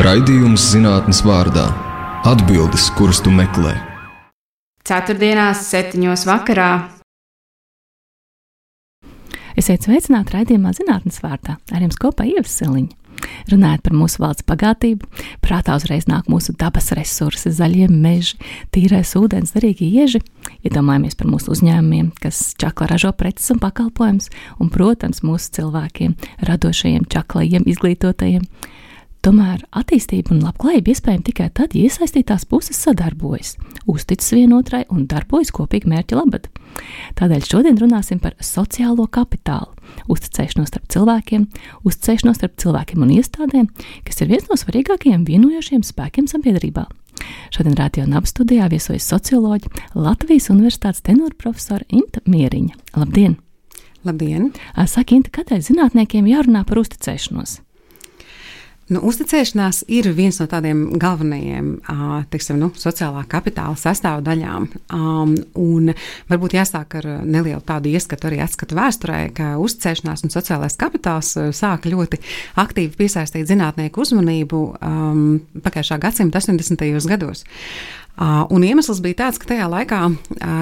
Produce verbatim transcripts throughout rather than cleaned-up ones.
Raidījums zinātnes vārdā. Atbildes, kuras tu meklē. Ceturtdienās, septiņos vakarā. Esiet sveicināti raidījumā zinātnes vārdā. Ar jums kopā Ieva Siliņa. Runājot par mūsu valsts bagātību, prātā uzreiz nāk mūsu dabas resursi, zaļie meži, tīrais ūdens, derīgi ieži. Iedomājamies par mūsu uzņēmumiem, kas čakla ražo preces un pakalpojumus, un, protams, mūsu cilvēkiem, radošajiem, čaklajiem, izglītotajiem. Tomēr attīstība un labklājība iespējama tikai tad, ja iesaistītās puses sadarbojas, uzticas vienotrai un darbojas kopīgi mērķa labad. Tādēļ šodien runāsim par sociālo kapitālu, uzticēšanos starp cilvēkiem, uzticēšanos starp cilvēkiem un iestādēm, kas ir viens no svarīgākajiem vienojošiem spēkiem sabiedrībā. Šodien Radio Naba studijā viesojas socioloģi, Latvijas Universitātes tenora profesora Inta Mieriņa. Labdien! Labdien! Saka, Inta, kādēļ zinātniekiem jārunā par uzticēšanos? Nu, uzticēšanās ir viens no tādiem galvenajiem teiksim, nu, sociālā kapitāla sastāvdaļām. Um, un varbūt jāsāk ar nelielu tādu ieskatu arī atskatu vēsturē, ka uzticēšanās un sociālais kapitāls sāka ļoti aktīvi piesaistīt zinātnieku uzmanību um, pagājušā gadsimta astoņdesmitajos gados. Uh, un iemesls bija tāds, ka tajā laikā uh,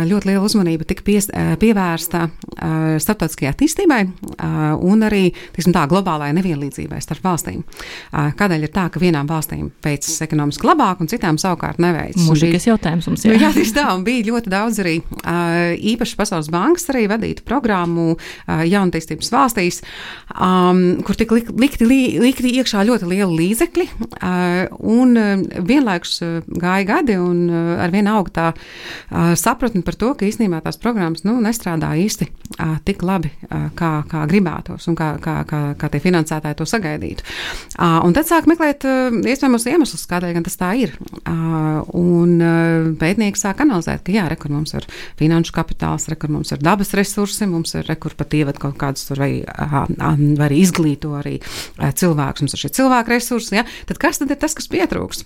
ļoti liela uzmanība tika pies, uh, pievērsta uh, starptautiskajai attīstībai uh, un arī, tiksim tā, globālajai nevienlīdzībai starp valstīm. Uh, kādēļ ir tā, ka vienām valstīm veicas ekonomiski labāk un citām savukārt neveicas? Mūžīgas jautājums mums jā. Jā, tieši tā, un bija ļoti daudz arī uh, īpaši Pasaules bankas arī vadītu programmu uh, jaunatīstības valstīs, um, kur tika lik, likti, likti iekšā ļoti liela līdzekļi, uh, un uh, vienlaikus uh, gāja gadi un ar vienu aug tā uh, sapratni par to, ka īstenībā tās programmas nu, nestrādā īsti uh, tik labi, uh, kā, kā gribētos un kā, kā, kā, kā tie finansētāji to sagaidītu. Uh, un tad sāk meklēt uh, iespējamos iemeslus, kādēļ gan tas tā ir. Uh, un uh, pētnieki sāk analizēt, ka jā, re, kur mums ir finanšu kapitāls, re, kur mums ir dabas resursi, mums ir, re, kur pat ievad kaut kādus tur vai, uh, vai arī izglīto arī uh, cilvēkus, mums ir šie cilvēku resursi, ja? Tad kas tad ir tas, kas pietrūks?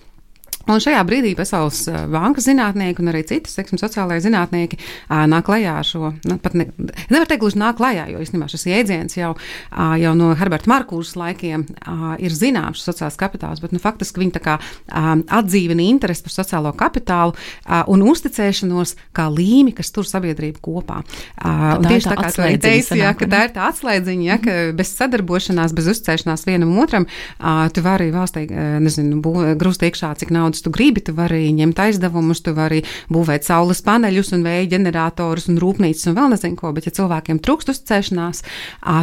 Un šajā brīdī Pasaules bankas zinātnieki un arī citas, teiksim, sociālajie zinātnieki ā, nāk klajā ar šo, nu, pat ne, nevar teikt, gluži nāk klajā, jo īstenībā šis jēdziens jau, ā, jau no Herberta Markūžas laikiem ā, ir zināms sociālais kapitāls, bet nu, faktiski viņi tā kā ā, atdzīvina interesi par sociālo kapitālu ā, un uzticēšanos kā līmi, kas tur sabiedrību kopā. Ā, un tieši tā kā tu arī teici, ja, ka tā ir tā atslēdziņa, ja, ka bez sadarbošanās, bez uzticēšanās vienam otram, ā, tu vari valstī, nezinu, grūst iekšā, cik naudas tu gribi, tu vari ņemt aizdevumus, tu vari būvēt saules paneļus un vēja ģeneratorus un rūpnīcas un vēl nezinu ko, bet ja cilvēkiem trūkst uzticēšanās,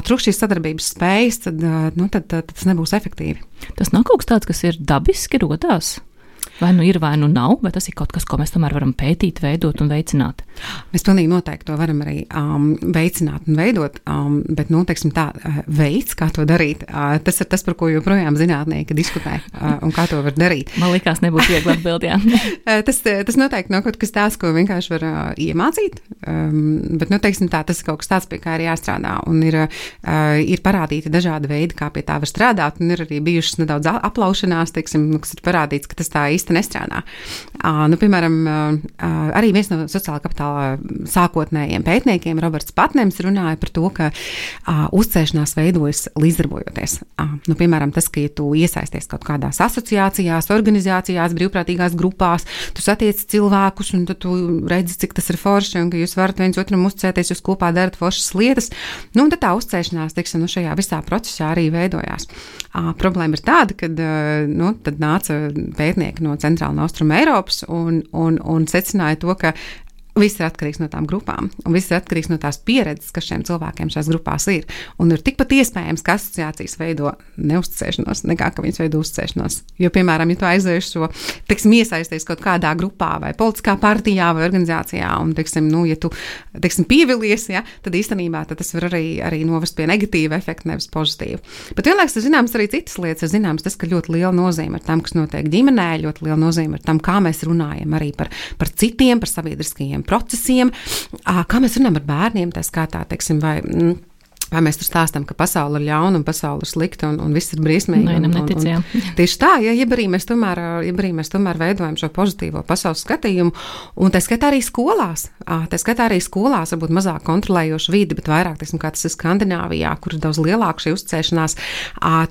trūkst šīs sadarbības spējas, tad, nu, tad, tad tas nebūs efektīvi. Tas nav kaut kas tāds, kas ir dabiski rodās? Vai nu ir, vai nu nav, vai tas ir kaut kas, ko mēs tomēr varam pētīt, veidot un veicināt? Mēs pilnīgi noteikti to varam arī um, veicināt un veidot, um, bet, nu, teiksim tā, veids, kā to darīt, uh, tas ir tas, par ko joprojām zinātnieki diskutē uh, un kā to var darīt. Man likās nebūs viegli atbild, jā. tas, tas noteikti nav kaut kas tāds, ko vienkārši var uh, iemācīt, um, bet, nu, teiksim tā, tas ir kaut kas tāds, pie kā ir jāstrādā un ir, uh, ir parādīti dažādi veidi, kā pie tā var strādāt un ir arī bijušas nedaudz aplaušanās, teiksim, kas ir parādīts, ka tas tā īsti nestrādā. Uh, nu, piemēram, uh, arī viens no sociālā kapitāla sākotnējiem pētniekiem, Roberts Patnems, runāja par to, ka uh, uzticēšanās veidojas līdzdarbojoties. Uh, nu, piemēram, tas, ka ja tu iesaisties kaut kādās asociācijās, organizācijās, brīvprātīgās grupās, tu satiec cilvēkus un tu redzi, cik tas ir forši un ka jūs varat viens otram uzticēties, jūs kopā darat foršas lietas. Nu, un tad tā uzticēšanās, teiksim, nu, šajā visā procesā arī veidojās. Uh, problēma ir tāda, kad uh, nu, tad nāca pētnieki no Centrāla un Austruma Eiropas un, un, un secināja to, ka viss ir atkarīgs no tām grupām, un viss ir atkarīgs no tās pieredzes, kas šiem cilvēkiem šajās grupās ir. Un ir tikpat iespējams, ka asociācijas veido neuzticēšanos, nekā ka viņas veido uzticēšanos. Jo, piemēram, ja tu aizējuši šo, teiksim, iesaisties kaut kādā grupā vai politiskā partijā vai organizācijā, un, teiksim, nu, ja tu, teiksim, pievilies, ja, tad īstenībā tad tas var arī, arī novest pie negatīva efekta, nevis pozitīva. Bet vienlaiks ir zināms arī citas lietas, ir zināms tas, ka ļoti liela nozīme ir tam, kas notiek ģimenē, ļoti liela nozīme ir tam, kā mēs runājam arī par, par citiem, par sabiedriskajiem procesiem, kā mēs runājam ar bērniem, tā skatā, teiksim, vai Vai mēs tur stāstam, ka pasaule ir ļauna un pasaule ir slikta un, un viss ir briesmīgi? Nē, un, un, neticējām. un, tieši tā, ja, ja arī mēs tomēr, ja arī mēs tomēr veidojam šo pozitīvo pasaules skatījumu, un tā skatā arī skolās, tā skatā arī skolās, varbūt mazāk kontrolējoša vidi, bet vairāk, teiksim, kā tas ir Skandināvijā, kur ir daudz lielāka šī uzticēšanās,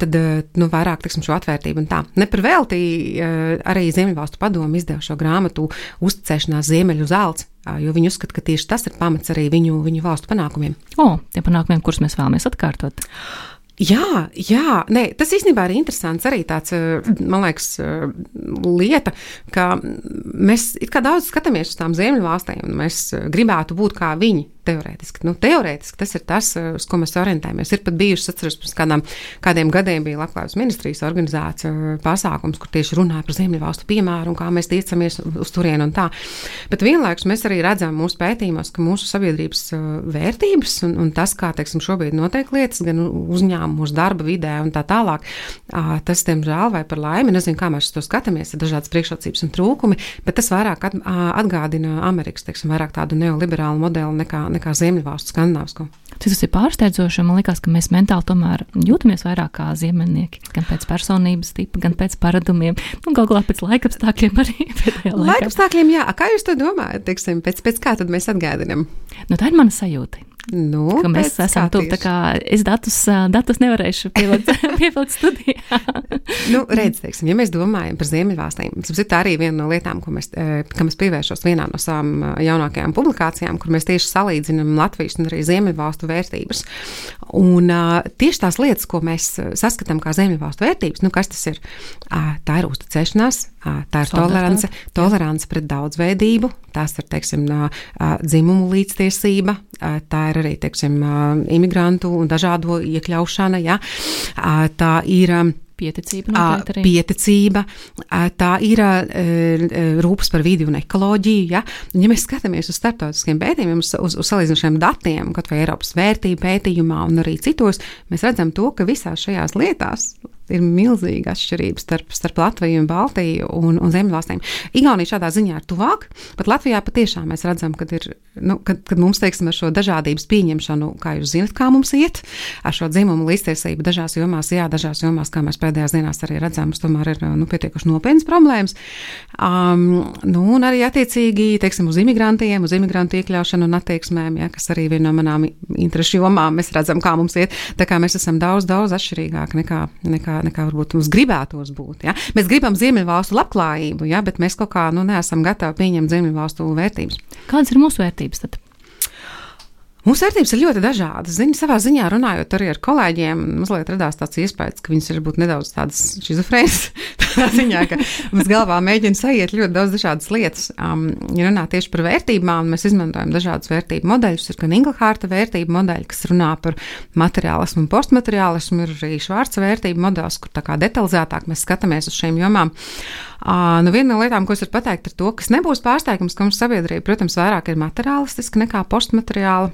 tad, nu, vairāk, teiksim, šo atvērtību un tā. Ne par velti arī Ziemeļvalstu padomu izdeva šo grāmatu Uzticēšanās Ziemeļu zelts, jo viņi uzskata, ka tieši tas ir pamats arī viņu, viņu valstu panākumiem. O, tie panākumiem, kurus mēs vēlamies atkārtot. Jā, jā, nē, tas īstenībā ir interesants arī tāds, man liekas, lieta, ka mēs it kā daudz skatāmies uz tām Ziemeļvalstīm un mēs gribētu būt kā viņi. Teorētiski. Nu, teorētiski tas ir tas, uz ko mēs orientējamies. Ir pat bijušas, atceros, pirms kādām, kādiem gadiem bija Labklājības ministrijas organizēts pasākums, kur tieši runāja par Ziemeļvalstu piemēru un kā mēs tiecamies uz turienu un tā. Bet vienlaikus mēs arī redzam mūsu pētījumos, ka mūsu sabiedrības vērtības un, un tas, kā, teiksim, šobrīd notiek lietas, gan uzņēmumu, mūsu darba vidē un tā tālāk, tas, diemžēl, vai par laimi, nezinu, kā mēs uz to skatāmies, ir dažādas priekšrocības un trūkumi, bet tas vairāk atgādina Amerikas, teiksim, vairāk tādu neoliberālu modeli nekā nekā Ziemeļvalstu skandināvisko. Tas ir pārsteidzoši, man liekas, ka mēs mentāli tomēr jūtamies vairāk kā ziemeļnieki, gan pēc personības tipa, gan pēc paradumiem, nu, galu galā pēc laikapstākļiem arī pēdējā laikā. Laikapstākļiem, jā. Kā jūs to domājat, teiksim, pēc, pēc kā tad mēs atgādinam? Nu, tā ir mana sajūta. Nu, ka mēs esam tuvu, tā kā es datus, datus nevarēšu pievilkt, pievilkt studijā. Nu, redz, teiksim, ja mēs domājam par Ziemeļvalstīm, tas ir arī viena no lietām, ko mēs, kam es pievēršos vienā no savām jaunākajām publikācijām, kur mēs tieši salīdzinām Latvijas un arī Ziemeļvalstu vērtības. Un tieši tās lietas, ko mēs saskatām kā Ziemeļvalstu vērtības, nu, kas tas ir? Tā ir uzticēšanās, tā ir tolerance, tolerance pret daudzveidību, tās ir, teiksim, dzimumu līdztiesība, tā ir arī, teiksim, imigrantu un dažādo iekļaušana, ja? Tā ir pieticība, noteikti arī. Pieticība, tā ir rūpes par vidi un ekoloģiju, ja? Un, ja mēs skatāmies uz starptautiskiem pētījumiem, uz, uz, uz salīdzinošiem datiem, kaut vai Eiropas vērtību pētījumā un arī citos, mēs redzam to, ka visās šajās lietās ir milzīga atšķirība starp, starp Latviju un Baltiju un, un Ziemeļvalstīm. Igaunija šādā ziņā ir tuvāk, bet Latvijā patiešām mēs redzam, kad, ir, nu, kad, kad mums, teiksim, ar šo dažādības pieņemšanu, kā jūs zinat, kā mums iet, ar šo dzimumu līdztiesību dažās jomās, jā, dažās jomās, kā mēs pēdējās dienās arī redzam, mums tomēr ir nu, pietiekuši nopietnas problēmas. Um, nu, un arī attiecīgi, teiksim, uz imigrantiem, uz imigrantu iekļaušanu un attieksmēm, ja, kas arī viena no manām interešu jomām, mēs redzam, kā mums iet, tā kā mēs esam daudz, daudz atšķirīgāk nekā, nekā nekā varbūt mums gribētos būt. Ja? Mēs gribam Ziemeļvalstu labklājību, ja? Bet mēs kaut kā nu, neesam gatavi pieņemt Ziemeļvalstu vērtības. Kādas ir mūsu vērtības tad? Mūsu vērtības ir ļoti dažādas. Zini, savā ziņā runājot arī ar kolēģiem, mazliet radās tāds iespējas, ka viņas ir būt nedaudz tādas šizofrēnas. Tā ziņā, ka mums galvā mēģina sajiet ļoti daudz dažādas lietas. Um, ja runā tieši par vērtībām, mēs izmantojam dažādas vērtību modeļus. Ir gan Inglhārta vērtību modeļi, kas runā par materiālismu un postmateriālismu, ir arī Švārca vērtību modelis, kur tā kā detalizētāk mēs skatāmies uz šīm jomām. Uh, nu viena no lietām, ko es varu pateikt, ir to, kas nebūs pārsteigums, ka mums sabiedrība, protams, vairāk ir materiālistiska nekā postmateriāla.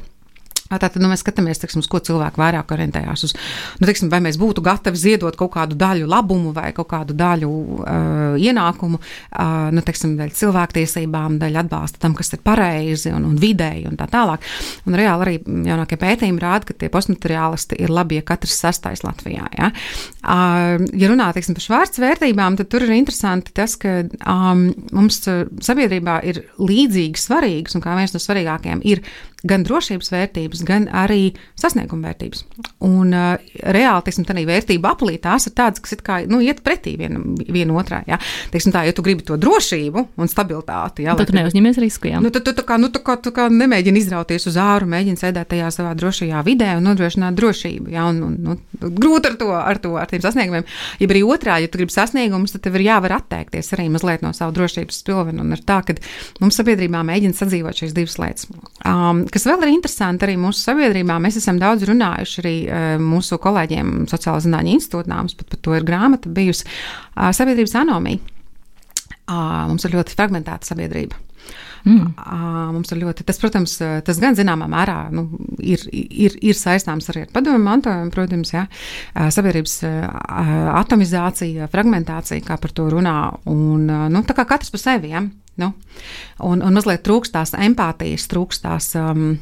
Tātad nu, mēs skatāmies, teiksim, uz ko cilvēki vairāk orientējās uz, nu, teiksim, vai mēs būtu gatavi ziedot kaut kādu daļu labumu vai kaut kādu daļu uh, ienākumu, uh, nu, teiksim, daļu cilvēktiesībām, daļu atbalsta tam, kas ir pareizi un, un vidēji un tā tālāk. Un reāli arī jaunākie pētījumi rāda, ka tie postmateriālisti ir labi, ja katrs sastais Latvijā. Ja, uh, ja runā, teiksim, par Švārca vērtībām, tad tur ir interesanti tas, ka um, mums sabiedrībā ir līdzīgi svarīgas, un kā viens no svarīgākajiem ir gan drošības vērtības, gan arī sasnieguma vērtības. Un uh, reāli, teiksim, tādā vērtība aplī tās ir tādas, kas it kā, nu, iet pretī viena, viena otrā, jā. Teiksim tā, ja tu gribi to drošību un stabilitāti, jā. Tad tu neuzņemies risku, jā. Nu, tad tu tā kā, nu, tā kā, tā kā nemēģini izrauties uz āru, mēģini sēdēt tajā savā drošajā vidē un nodrošināt drošību, jā, un, un, nu, grūti ar to, ar to, ar tiem sasniegumiem. Ja arī otrā, ja tu gribi sasniegumus, tad tev ir jāvar atteikties arī mazliet no savu drošības spilvenu, un ir tā, ka mums sabiedrībā mēģina sadzīvot šīs divas lietas. Um, kas vēl ir interesanti arī mūsu sabiedrībā, mēs esam daudz runājuši arī uh, mūsu kolēģiem Sociālā zinātņu institūtā, mums pat par to ir grāmata bijusi, uh, sabiedrības anomija. Uh, mums ir ļoti fragmentēta sabiedrība. Mm. Uh, mums ir ļoti, tas, protams, tas gan zināmā mērā nu, ir, ir, ir saistāms arī ar padomu mantojumu, protams, ja, uh, sabiedrības uh, atomizācija, fragmentācija, kā par to runā, un uh, nu, tā kā katrs par sevi, ja, nu, un, un mazliet trūkst tās empātijas, trūkst tās um,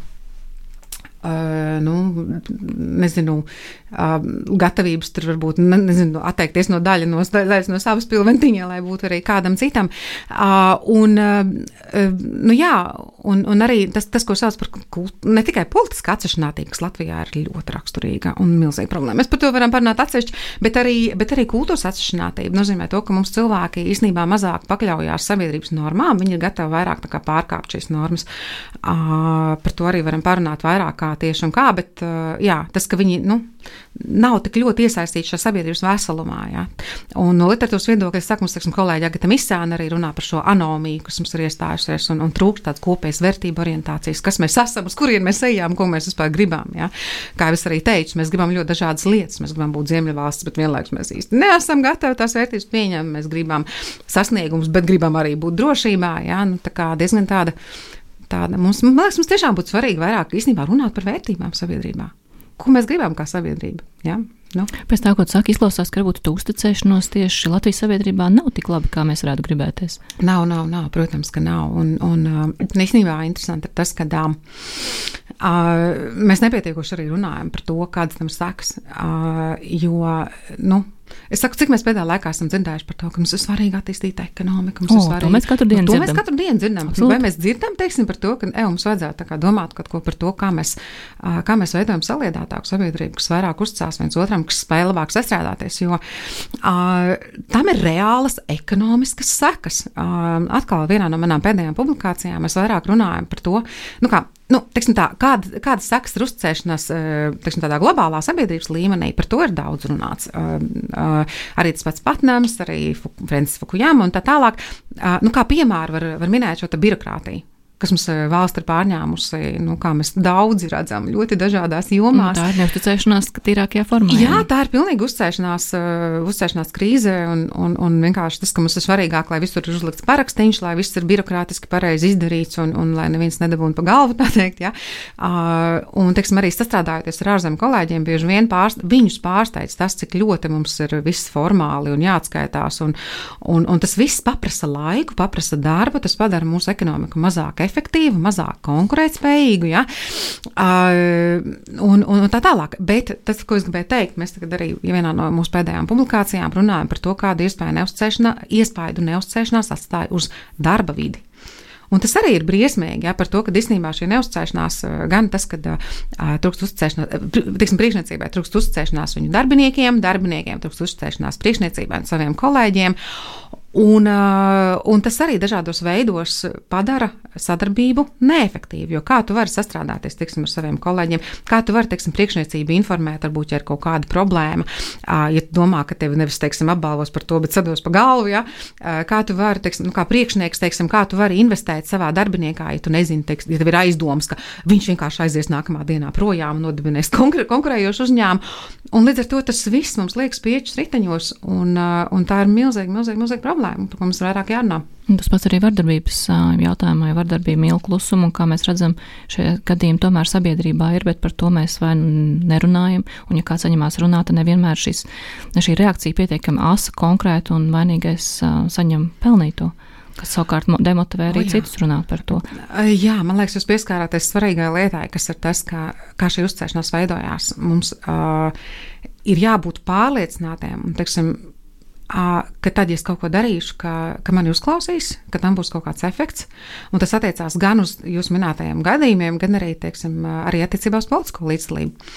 Uh, nu, nezinu, uh, gatavības tur varbūt, nezinu, atteikties no daļa no, daļas no savas pilventiņa, lai būtu arī kādam citam. Uh, un, uh, nu jā, un, un arī tas, tas, ko sauc par kult, ne tikai politiska atsevišķinātība, kas Latvijā ir ļoti raksturīga un milzīga problēma. Mēs par to varam parunāt atsevišķi, bet arī, bet arī kultūras atsevišķinātība nozīmē to, ka mums cilvēki īstenībā mazāk pakļaujās sabiedrības normām, viņi ir gatavi vairāk tā kā pārkāpt šīs normas. Uh, par to arī varam parunāt vairāk kā tieši un kā, bet jā, tas, ka viņi, nu, nav tik ļoti iesaistīti šajā sabiedrības veselumā, jā. Un no literatūras viedokļa, es saku, mums, teiksim, kolēģi Agata Misāna arī runā par šo anomiju, kas mums ir iestājusies un, un trūkst tāds kopējas vērtību orientācijas, kas mēs esam, uz kurien mēs ejam, ko mēs vispār gribam, jā. Kā es arī teicu, mēs gribam ļoti dažādas lietas, mēs gribam būt ziemeļvalsts, bet vienlaikus mēs īsti neesam gatavi tās vērtības pieņemt, mēs gribam sasniegumus, bet gribam arī būt drošībā, jā, nu, tā kā diezgan tāda Tāda, mums, man liekas, mums tiešām būtu svarīgi vairāk īstenībā runāt par vērtībām sabiedrībā. Ko mēs gribam kā sabiedrība? Ja? Nu. Pēc tā, ko tu saki, izklausās, ka varbūt tu uzticēšanos tieši Latvijas sabiedrībā nav tik labi, kā mēs varētu gribēties. Nav, nav, nav, protams, ka nav. Un, un īstenībā interesanti ir tas, ka uh, mēs nepietiekoši arī runājam par to, kādas tam sekas, uh, jo, nu, es saku, cik mēs pēdējā laikā esam dzirdējuši par to, ka mums ir svarīgi attīstīt ekonomiku. O, to mēs katru dienu to dzirdam. Mēs katru dienu dzirdam. Absolut. Vai mēs dzirdam, teiksim, par to, ka e, mums vajadzētu tā kā domāt kaut ko par to, kā mēs, kā mēs veidojam saliedētāku sabiedrību, kas vairāk uzticās viens otram, kas spēj labāk sastrādāties, jo uh, tam ir reālas ekonomiskas sekas. Uh, atkal vienā no manām pēdējām publikācijām mēs vairāk runājam par to, nu kā, Nu, teiksim tā, kāda, kādas sekas ir uzticēšanās, teiksim, tādā globālā sabiedrības līmenī, par to ir daudz runāts. Uh, uh, arī tas pats Patnams, arī Francis Fukujama un tā tālāk. Uh, nu, kā piemēru var, var minēt šo birokrātiju, kas mums valsts ir pārņēmusi, nu, kā mēs daudzi redzam, ļoti dažādās jomās. Un tā ir neuzticēšanās tīrākajā formā. Jā, tā ir pilnīgi uzticēšanās, uh, uzticēšanās krīze un, un, un vienkārši tas, ka mums ir svarīgāk, lai visur ir uzlikts parakstīņš, lai viss ir birokrātiski pareizi izdarīts un, un lai neviens nedabūna pa galvu, tā teikt, jā. Uh, un, teiksim, arī sastrādājoties ar ārzemju kolēģiem, bieži vien pārst, viņus pārsteidz tas, cik ļoti mums ir viss formāli un jāatskaitās un, un, un tas viss paprasa laiku, paprasa darbu, tas padara mūsu ekonomiku mazāk efektīvu, mazāk konkurētspējīgu, ja? uh, un, un tā tālāk. Bet tas, ko es gribēju teikt, mēs tagad arī vienā no mūsu pēdējām publikācijām runājam par to, kādu iespēju neuzticēšanā, iespēju neuzticēšanās atstāja uz darba vidi. Un tas arī ir briesmīgi, ja, par to, ka īstenībā šī neuzticēšanās, gan tas, ka uh, trūkst uzticēšanās, tiksim, priekšniecībai trūkst uzticēšanās viņu darbiniekiem, darbiniekiem trūkst uzticēšanās priekšniecībai un saviem kolēģiem. Un, un tas arī dažādos veidos padara sadarbību neefektīvu, jo kā tu vari sastrādāties, teiksim, ar saviem kolēģiem, kā tu vari, teiksim, priekšniecību informēt, varbūt, ja ir kaut kāda problēma, ja tu domā, ka tevi nevis, teiksim, apbalvos par to, bet sados pa galvu, ja, kā tu vari, teiksim, nu, kā priekšnieks, teiksim, kā tu vari investēt savā darbiniekā, ja tu nezini, teiksim, ja tev ir aizdomas, ka viņš vienkārši aizies nākamā dienā projām un nodibinēs konkur- konkurējošu uzņēmumu, un līdz ar to tas viss mums liekas piečus riteņos, un, un tā ir milzīgi, milzīgi, milzīgi problēma. Par ko mums vairāk jārunā. Tas pats arī vardarbības jautājumā, ja vardarbība mīl klusumu, un kā mēs redzam, šie gadījumi tomēr sabiedrībā ir, bet par to mēs vai nerunājam, un ja kāds saņemās runāt, tad nevienmēr šis, šī reakcija pietiekami asa, konkrēta un vainīgais saņem pelnīto, kas savukārt demotivē arī o, citus runāt par to. Jā, man liekas, jūs pieskārāties svarīgai lietai, kas ir tas, kā, kā šī uzticēšanās veidojās. Mums uh, ir jābūt pārliecinātiem, un, teiksim, ka tad, ja es kaut ko darīšu, ka, ka mani uzklausīs, ka tam būs kaut kāds efekts, un tas attiecās gan uz jūsu minētajiem gadījumiem, gan arī, teiksim, arī attiecībā uz politisko līdzdalību.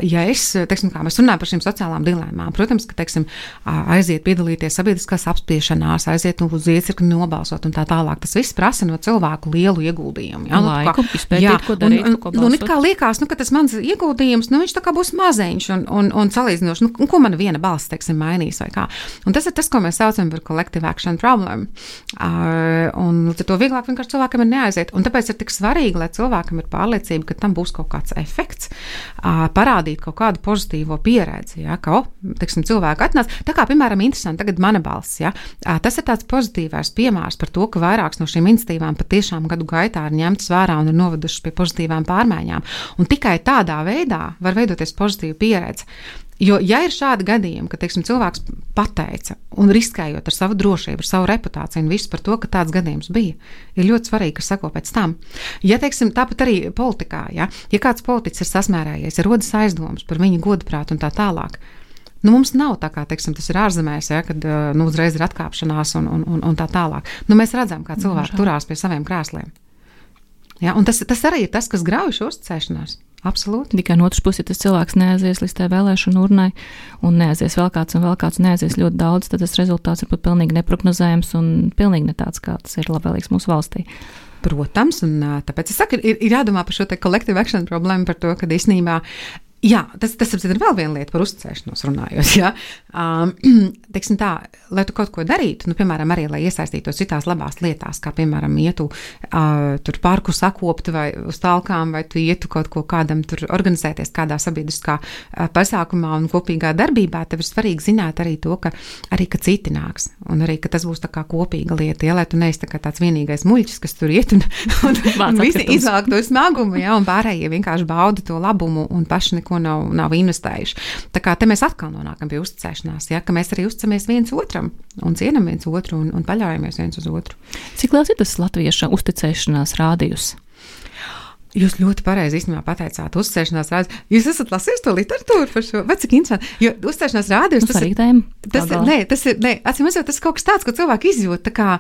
Ja es, teiksim, kā mēs runājam par šīm sociālām dilēmām, protams, ka, teiksim, aiziet piedalīties sabiedriskās apspriešanās, aiziet nu, uz iecirkni nobalsot un tā tālāk, tas viss prasa no cilvēku lielu ieguldījumu. Ja? Laiku, nu, izpētīt, jā, ko darīt, un, un, ko balsot. Un it kā liekas, nu, ka tas mans ieguldījums, nu, viņš tā kā būs maziņš un, un, un salīdzinoši, nu, ko man viena balss, teiksim, mainīs vai kā. Un tas ir tas, ko mēs saucam par collective action problem. Uh, un to vieglāk vienkārši cilvēkam ir neaiziet. Un tāpēc ir tik svarīgi, lai cilvēkam ir pārliecība, ka tam būs kaut kāds efekts, uh, parādīt kaut kādu pozitīvo pieredzi, ja, ka, o, teiksim, cilvēki atnāc. Tā kā, piemēram, interesanti tagad mana balss, ja, uh, tas ir tāds pozitīvais piemērs par to, ka vairākas no šīm iniciatīvām patiešām gadu gaitā ir ņemtas vērā un ir novedušas pie pozitīvām pārmaiņām. Un tikai tādā veidā var veidoties pozitīva pieredze. Jo, ja ir šādi gadījumi, ka, teiksim, cilvēks pateica un riskējot ar savu drošību, ar savu reputāciju un visu par to, ka tāds gadījums bija, ir ļoti svarīgi, kas sako pēc tam. Ja, teiksim, tāpat arī politikā, ja, ja kāds politiķis ir sasmērējies, ir rodas aizdomas par viņu godprātu un tā tālāk, nu, mums nav tā kā, teiksim, tas ir ārzemēs, ja, kad, nu, uzreiz ir atkāpšanās un, un, un, un tā tālāk. Nu, mēs redzam, kā cilvēki turās pie saviem krēsliem. Ja, un tas, tas arī ir tas, kas grauj šo uzticēšanās. Absolūti. Tikai no otras puses, ja tas cilvēks neaizies līdz tai vēlēšanu urnai un neaizies vēl kāds un vēl kāds neaizies ļoti daudz, tad tas rezultāts ir pat pilnīgi neprognozējams un pilnīgi ne tāds, kā tas ir labvēlīgs mūsu valstī. Protams, un tāpēc es saku, ir, ir jādomā par šo te collective action problēmu, par to, ka īstenībā jā, tas, tas ir vēl viena lieta par uzticēšanos runājot. Ja? Um, teiksim tā, lai tu kaut ko darītu, nu, piemēram, arī, lai iesaistītos citās labās lietās, kā, piemēram, ietu uh, tur parku sakoptu vai uz talkām, vai tu ietu kaut ko kādam tur organizēties kādā sabiedriskā uh, pasākumā un kopīgā darbībā, tev ir svarīgi zināt arī to, ka arī, ka citi nāks, un arī, ka tas būs tā kā kopīga lieta, ja, lai tu neesi tā kā tāds vienīgais muļķis, kas tur iet un, un, un visi izvelk to smagumu, ja, un pārējie vienkārši bauda to labumu un paši ko nav, nav investējuši. Tā kā te mēs atkal nonākam pie uzticēšanās, ja, ka mēs arī uzticamies viens otram un cienam viens otru un, un paļaujamies viens uz otru. Cik liels ir tas latvieša uzticēšanās rādījus? Jūs ļoti pareizi īstenībā pateicāt, uzticēšanās rādījus. Jūs esat lasījis to literatūru par šo? Vai cik interesanti? Jo uzticēšanās rādījus, nu, tas, ir, tas, ir, ne, tas ir, ne, atcīm redzot, tas ir kaut kas tāds, ko cilvēki izjūt tā kā,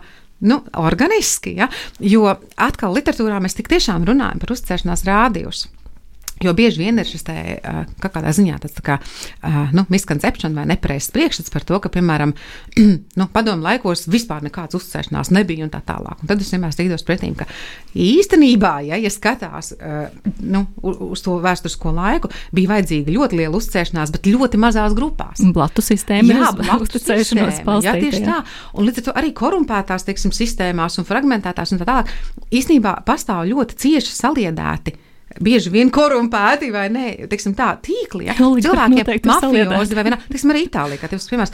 nu, organiski, ja, jo atkal literatūrā mēs tik tiešām runājam par uzticēšanās rādījus. Jo bieži vien ir šis te, kā kādā ziņā tāds tā kā, nu, miskoncepšana vai nepareizs priekšstats par to, ka, piemēram, nu, padomu laikos vispār nekāds uzticēšanās nebija un tā tālāk. Un tad es vienmēr strīdos pretīm, ka īstenībā, ja, ja skatās, nu, uz to vēsturisko laiku, bija vajadzīga ļoti liela uzticēšanās, bet ļoti mazās grupās. Blatu sistēma. Jā, blatu uzticēšanos balstīta. Jā, tieši tā. Un līdz ar to arī korumpētās, teiksim, sistēmās un fragmentētās un tā tālāk, īstenībā pastāv ļoti cieši saliedēti bieži vien korumpēti vai ne, teiksim tā, tīkli, ja, cilvēkiem mafiozi vai vienā, teiksim, arī Itālijā, kā tev piemērs,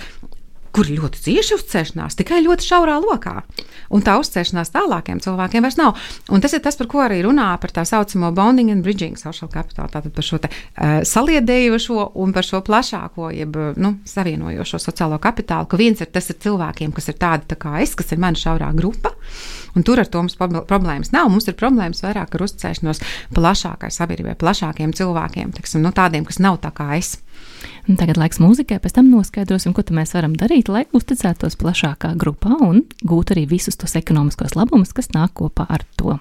kur ir ļoti cieši uzticēšanās, tikai ļoti šaurā lokā. Un tā uzticēšanās tālākiem cilvēkiem vairs nav. Un tas ir tas, par ko arī runā par tā saucamo bonding and bridging social capital, tātad par šo te uh, saliedējošo un par šo plašāko, jeb, nu, savienojošo sociālo kapitālu, ka viens ir tas ir cilvēkiem, kas ir tādi tā kā es, kas ir mana šaurā grupa, un tur ar to mums problēmas nav. Mums ir problēmas vairāk ar uzticēšanos plašākai sabiedrībai, plašākiem cilvēkiem, teksim, nu, tādiem, kas nav tā kā es. Un tagad laiks mūzikai, pēc tam noskaidrosim, ko mēs varam darīt, lai uzticētos plašākā grupā un gūtu arī visus tos ekonomiskos labumus, kas nāk kopā ar to.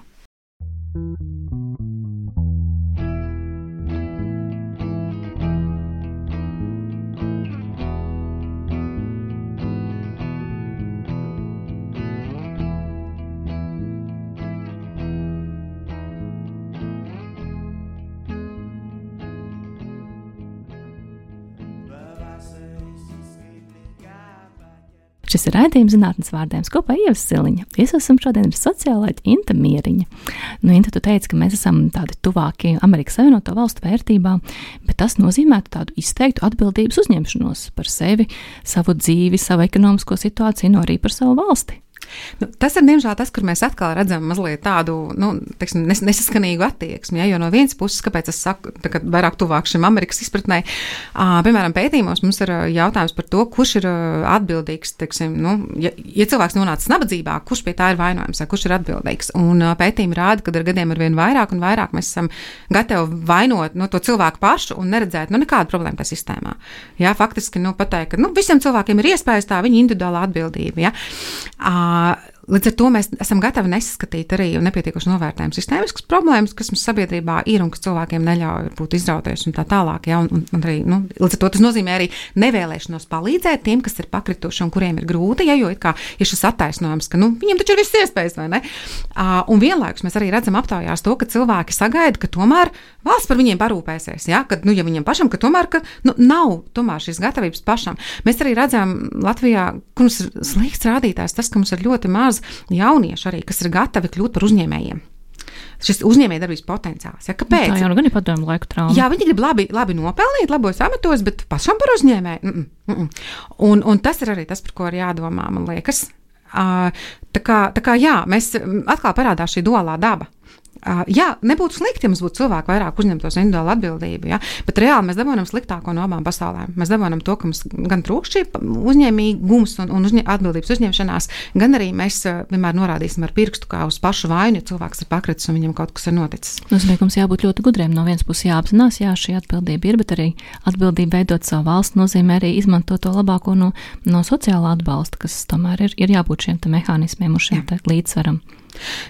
Šis ir raidījums zinātnes vārdiem kopā Ieva Siliņa. Es esmu šodien ar sociālāķi Inta Mieriņa. Nu, Inta, tu teici, ka mēs esam tādi tuvāki Amerikas Savienoto Valstu vērtībām, bet tas nozīmētu tādu izteiktu atbildības uzņemšanos par sevi, savu dzīvi, savu ekonomisko situāciju, no arī par savu valsti. Nu, tas ir, diemžēl, tas, kur mēs atkal redzam mazliet tādu, nu, teiksim, nes, nesaskanīgu attieksmi, ja, jo no vienas puses, kāpēc es saku, tā kā vairāk tuvāk šim Amerikas izpratnē, uh, piemēram, pētījumos mums ir jautājums par to, kurš ir atbildīgs, teiksim, nu, ja, ja cilvēks nonācis nabadzībā, kurš pie tā ir vainojams, kurš ir atbildīgs, un uh, pētījumi rāda, ka ar gadiem ar vien vairāk un vairāk mēs esam gatavi vainot, nu, to cilvēku pašu un neredzēt, nu, nekādu problēmu tā sistēmā. Jā, faktiski, nu, pateikt, ka, nu, visiem cilvēkiem ir iespējas tā viņa individuālā atbildība, ja. Uh, Līdz ar to mēs esam gatavi nesaskatīt arī nepietiekoši novērtējumu sistēmiskas problēmas, kas mums sabiedrībā ir un kas cilvēkiem neļauj būt izrauties un tā tālāk. Ja, un, un, un arī, nu, līdz ar to tas nozīmē arī nevēlēšanos palīdzēt tiem, kas ir pakrituši un kuriem ir grūti, ja, jo it kā ir šis attaisnojums, ka, nu, viņiem taču ir viss iespējas, vai ne? Uh, un vienlaikus mēs arī redzam aptaujās to, ka cilvēki sagaida, ka tomēr valsts par viņiem parūpēsies, ja, ka, nu, ja viņiem pašam, ka tomēr, ka, nu, nav tomēr šīs gatavības pašam. Mēs arī redzam Latvijā, ka mums ir slikts rādītājs tas, ka mums ir ļoti maz jaunieši arī, kas ir gatavi kļūt par uzņēmējiem. Šis uzņēmējdarbības potenciāls. Ja, kāpēc? Tā jau nu gan ir padomu laiku trauma. Jā, viņi grib labi, labi nopelnīt, labos amatos, bet pašam par uzņēmēju. Mm -mm, mm -mm. Un, un tas ir arī tas, par ko ir jādomā, man liekas. Uh, tā kā, tā kā jā, mēs atkal parādās šī duālā daba. Uh, jā, nebūtu slikti, ja mums būtu cilvēki vairāk uzņemtos individuālu atbildību, ja? Bet reāli mēs dabūjam sliktāko no abām pasaulēm. Mēs dabūjam to, ka mums gan trūkst šī uzņēmīgums un, un uzņē, atbildības uzņemšanās, gan arī mēs uh, vienmēr norādīsim ar pirkstu kā uz pašu vainu, ja cilvēks ir pakritis un viņam kaut kas ir noticis. Nozīmē, ka mums jābūt ļoti gudriem. No vienas puses jāapzinās, jā, šī atbildība ir, bet arī atbildība veidot savu valsts nozīmē arī izmantot to labāko no, no sociālā atbalsta, kas tomēr ir, ir jābūt šiem te mehānismiem un šiem te līdzsvaram.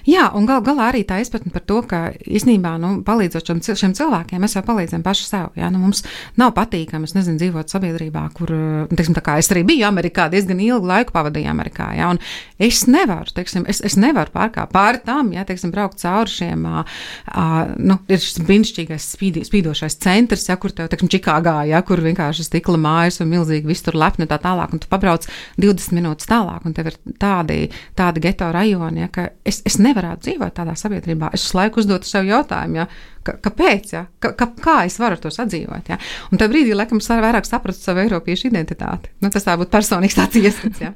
Jā, un gal galā arī tā izpratne par to, ka īstenībā, nu, palīdzot šiem, šiem cilvēkiem, mēs jau palīdzam paši sev, jā, nu, mums nav patīkami, es nezinu, dzīvot sabiedrībā, kur, teiksim, tā kā es arī biju Amerikā, diezgan ilgu laiku pavadīju Amerikā, jā, un es nevaru, teiksim, es, es nevaru pārkā pāri tam, jā, teiksim, braukt cauri šiem, ā, ā, nu, ir šis brīnišķīgais spīdi, spīdošais centrs, jā, kur tev, teiksim, Čikāgā, jā, kur vienkārši stikla mājas un milzīgi viss tur lepni tā tālāk, un tu pabrauc divdesmit minūtes tālāk, un tev ir tādi, tādi geto rajoni, jā, ka es, es nevarētu dzīvot tādā sabiedrībā. Es uz laiku uzdotu sev jautājumu, ja, ka, kāpēc, ja, ka, ka, kā es varu to sadzīvot. Ja. Un tajā brīdī, laikam, es vairāk sapratu savu eiropiešu identitāti. Nu, tas tā būtu personīgs tāds ieskats. Ja.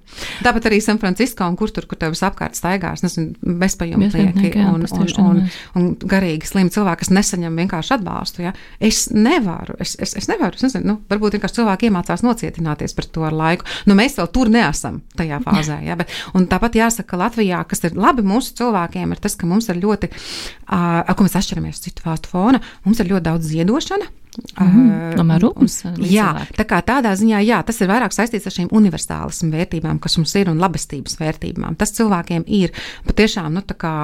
Tāpat arī San Francisco un kur tur, kur tev visapkārt staigās, nezinu, bezpajumtnieki un, un, un, un garīgi slimi cilvēki, kas nesaņem vienkārši atbalstu. Ja. Es nevaru, es, es, es nevaru, es nezinu, nu, varbūt vienkārši cilvēki iemācās nocietināties par to ar laiku. Nu, mēs vēl tur neesam tajā fāzē. Ja, bet, un tāpat jāsaka, ka Latvijā, kas ir labi mūsu cilvēkiem, ir tas, ka mums ir ļoti, uh, ar ko mēs atšķiramies citu valstu fona, mums ir ļoti daudz ziedošana. Mm, uh, rūpums, jā, tā kā tādā ziņā, jā, tas ir vairāk saistīts ar šīm universālismu vērtībām, kas mums ir, un labestības vērtībām. Tas cilvēkiem ir patiešām, nu, tā kā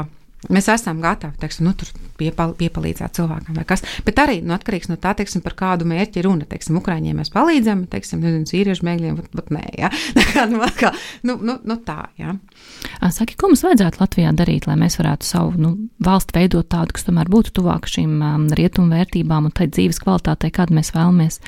mēs esam gatavi, teiksim, nu, tur piepal, piepalīdzēt cilvēkam vai kas, bet arī, nu, atkarīgs no tā, teiksim, par kādu mērķi runa, teiksim, Ukraiņiem mēs palīdzam, teiksim, nezinu, sīriešu bēgļiem, bet, bet nē, jā, nu, kā, nu, nu, nu, tā, jā. Saki, ko mums vajadzētu Latvijā darīt, lai mēs varētu savu, nu, valsti veidot tādu, kas tomēr būtu tuvāk šīm um, rietumu vērtībām un tai dzīves kvalitātei, kādu mēs vēlamies?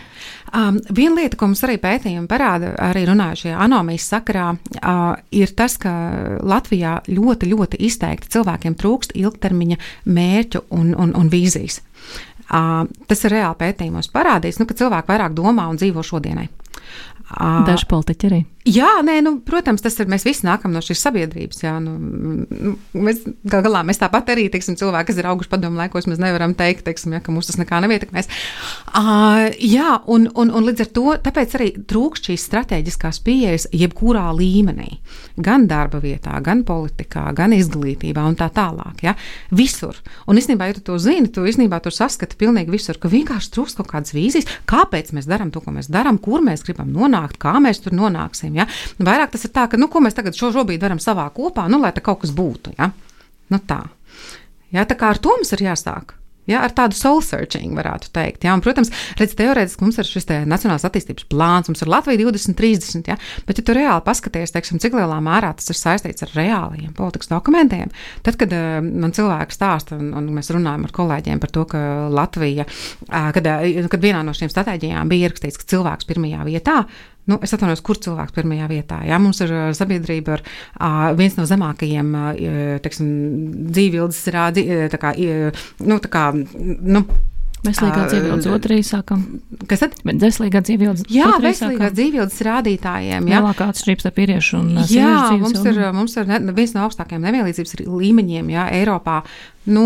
Um, viena lieta, ko mums arī pētījumi parāda, arī runājušajā anomijas sakarā, uh, ir tas, ka Latvijā ļoti, ļoti izteikti cilvēkiem trūkst ilgtermiņa mērķu un, un, un vīzijas. Uh, tas ir reāli pētījumos parādīts, nu, ka cilvēki vairāk domā un dzīvo šodienai. Uh, Daži politiķi arī. Jā, nē, nu, protams, tas ir, mēs visi nākam no šīs sabiedrības, jā, nu, mēs, gal galā, mēs tāpat arī, teiksim, cilvēki, kas ir auguši padomu laikos, mēs nevaram teikt, teiksim, jā, ka mūs tas nekā nevietekmēs. Uh, jā, un, un, un līdz ar to, tāpēc arī trūkst šīs strateģiskās pieejas jebkurā līmenī, gan darba vietā, gan politikā, gan izglītībā un tā tālāk, jā, visur. Un īstenībā, ja tu to zini, tu īstenībā tur saskati pilnīgi visur, ka vienkārši trūkst kaut kādas vīzijas, kāpēc mēs darām to, ko mēs darām, kur mēs gribam nonākt, kā mēs tur nonāksim. Ja? Vairāk tas ir tā, ka, nu, ko mēs tagad šo šobrīd varam savā kopā, nu, lai tā kaut kas būtu, ja? Nu, tā. Ja, tā kā ar to mums ir jāsāk. Ja, ar tādu soul searching varētu teikt. Ja, un, protams, redz, teorētiski mums ir šis te nacionālās attīstības plāns, mums ir Latvija divdesmit trīsdesmit, ja, bet ja tu reāli paskaties, teiksim, cik lielā mērā tas ir saistīts ar reāliem politikas dokumentiem, tad, kad uh, man cilvēki stāsta, un, un mēs runājam ar kolēģiem par to, ka Latvija, uh, kad, uh, kad vienā no šīm stratēģijām bija ierakstīts, ka cilvēks pirmajā vietā, nu, es atvainojos, kur cilvēks pirmajā vietā. Jā, mums ir sabiedrība ar uh, viens no zemākajiem, uh, teiksim, dzīvības rādi, tā kā, uh, nu, tā kā, nu, veselīgā dzīvības otrī sākam. Kas tad? Veselīgā dzīvības jā, veselīgā dzīvības rādītājiem. Jā, lielākā atšķirības starp vīriešu un sieviešu jā, dzīves mums ir, mums ir ne, viens no augstākajiem nevienlīdzības līmeņiem, jā, Eiropā. Nu,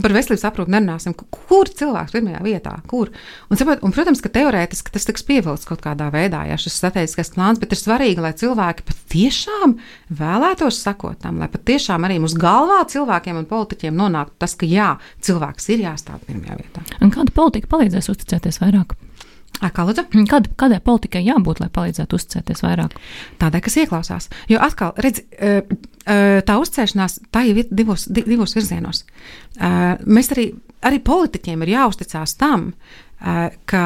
par veselības aprūpi nerunāsim. Kur cilvēks pirmajā vietā? Kur? Un, saprot, un protams, ka teorētiski tas tiks pievilkts kaut kādā veidā, jā, šis strateģiskais plāns, bet ir svarīgi, lai cilvēki patiešām vēlētos sakot tam, lai patiešām arī mūsu galvā cilvēkiem un politiķiem nonāktu tas, ka jā, cilvēks ir jāstāv pirmajā vietā. Un kāda politika palīdzēs uzticēties vairāk? Kā lūdzu? Kād, kādai politikai jābūt, lai palīdzētu uzticēties vairāk? Tādai, kas ieklausās. Jo atkal, redz, tā uzticēšanās, tā jau ir divos, divos virzienos. Mēs arī, arī politiķiem ir jāuzticās tam, ka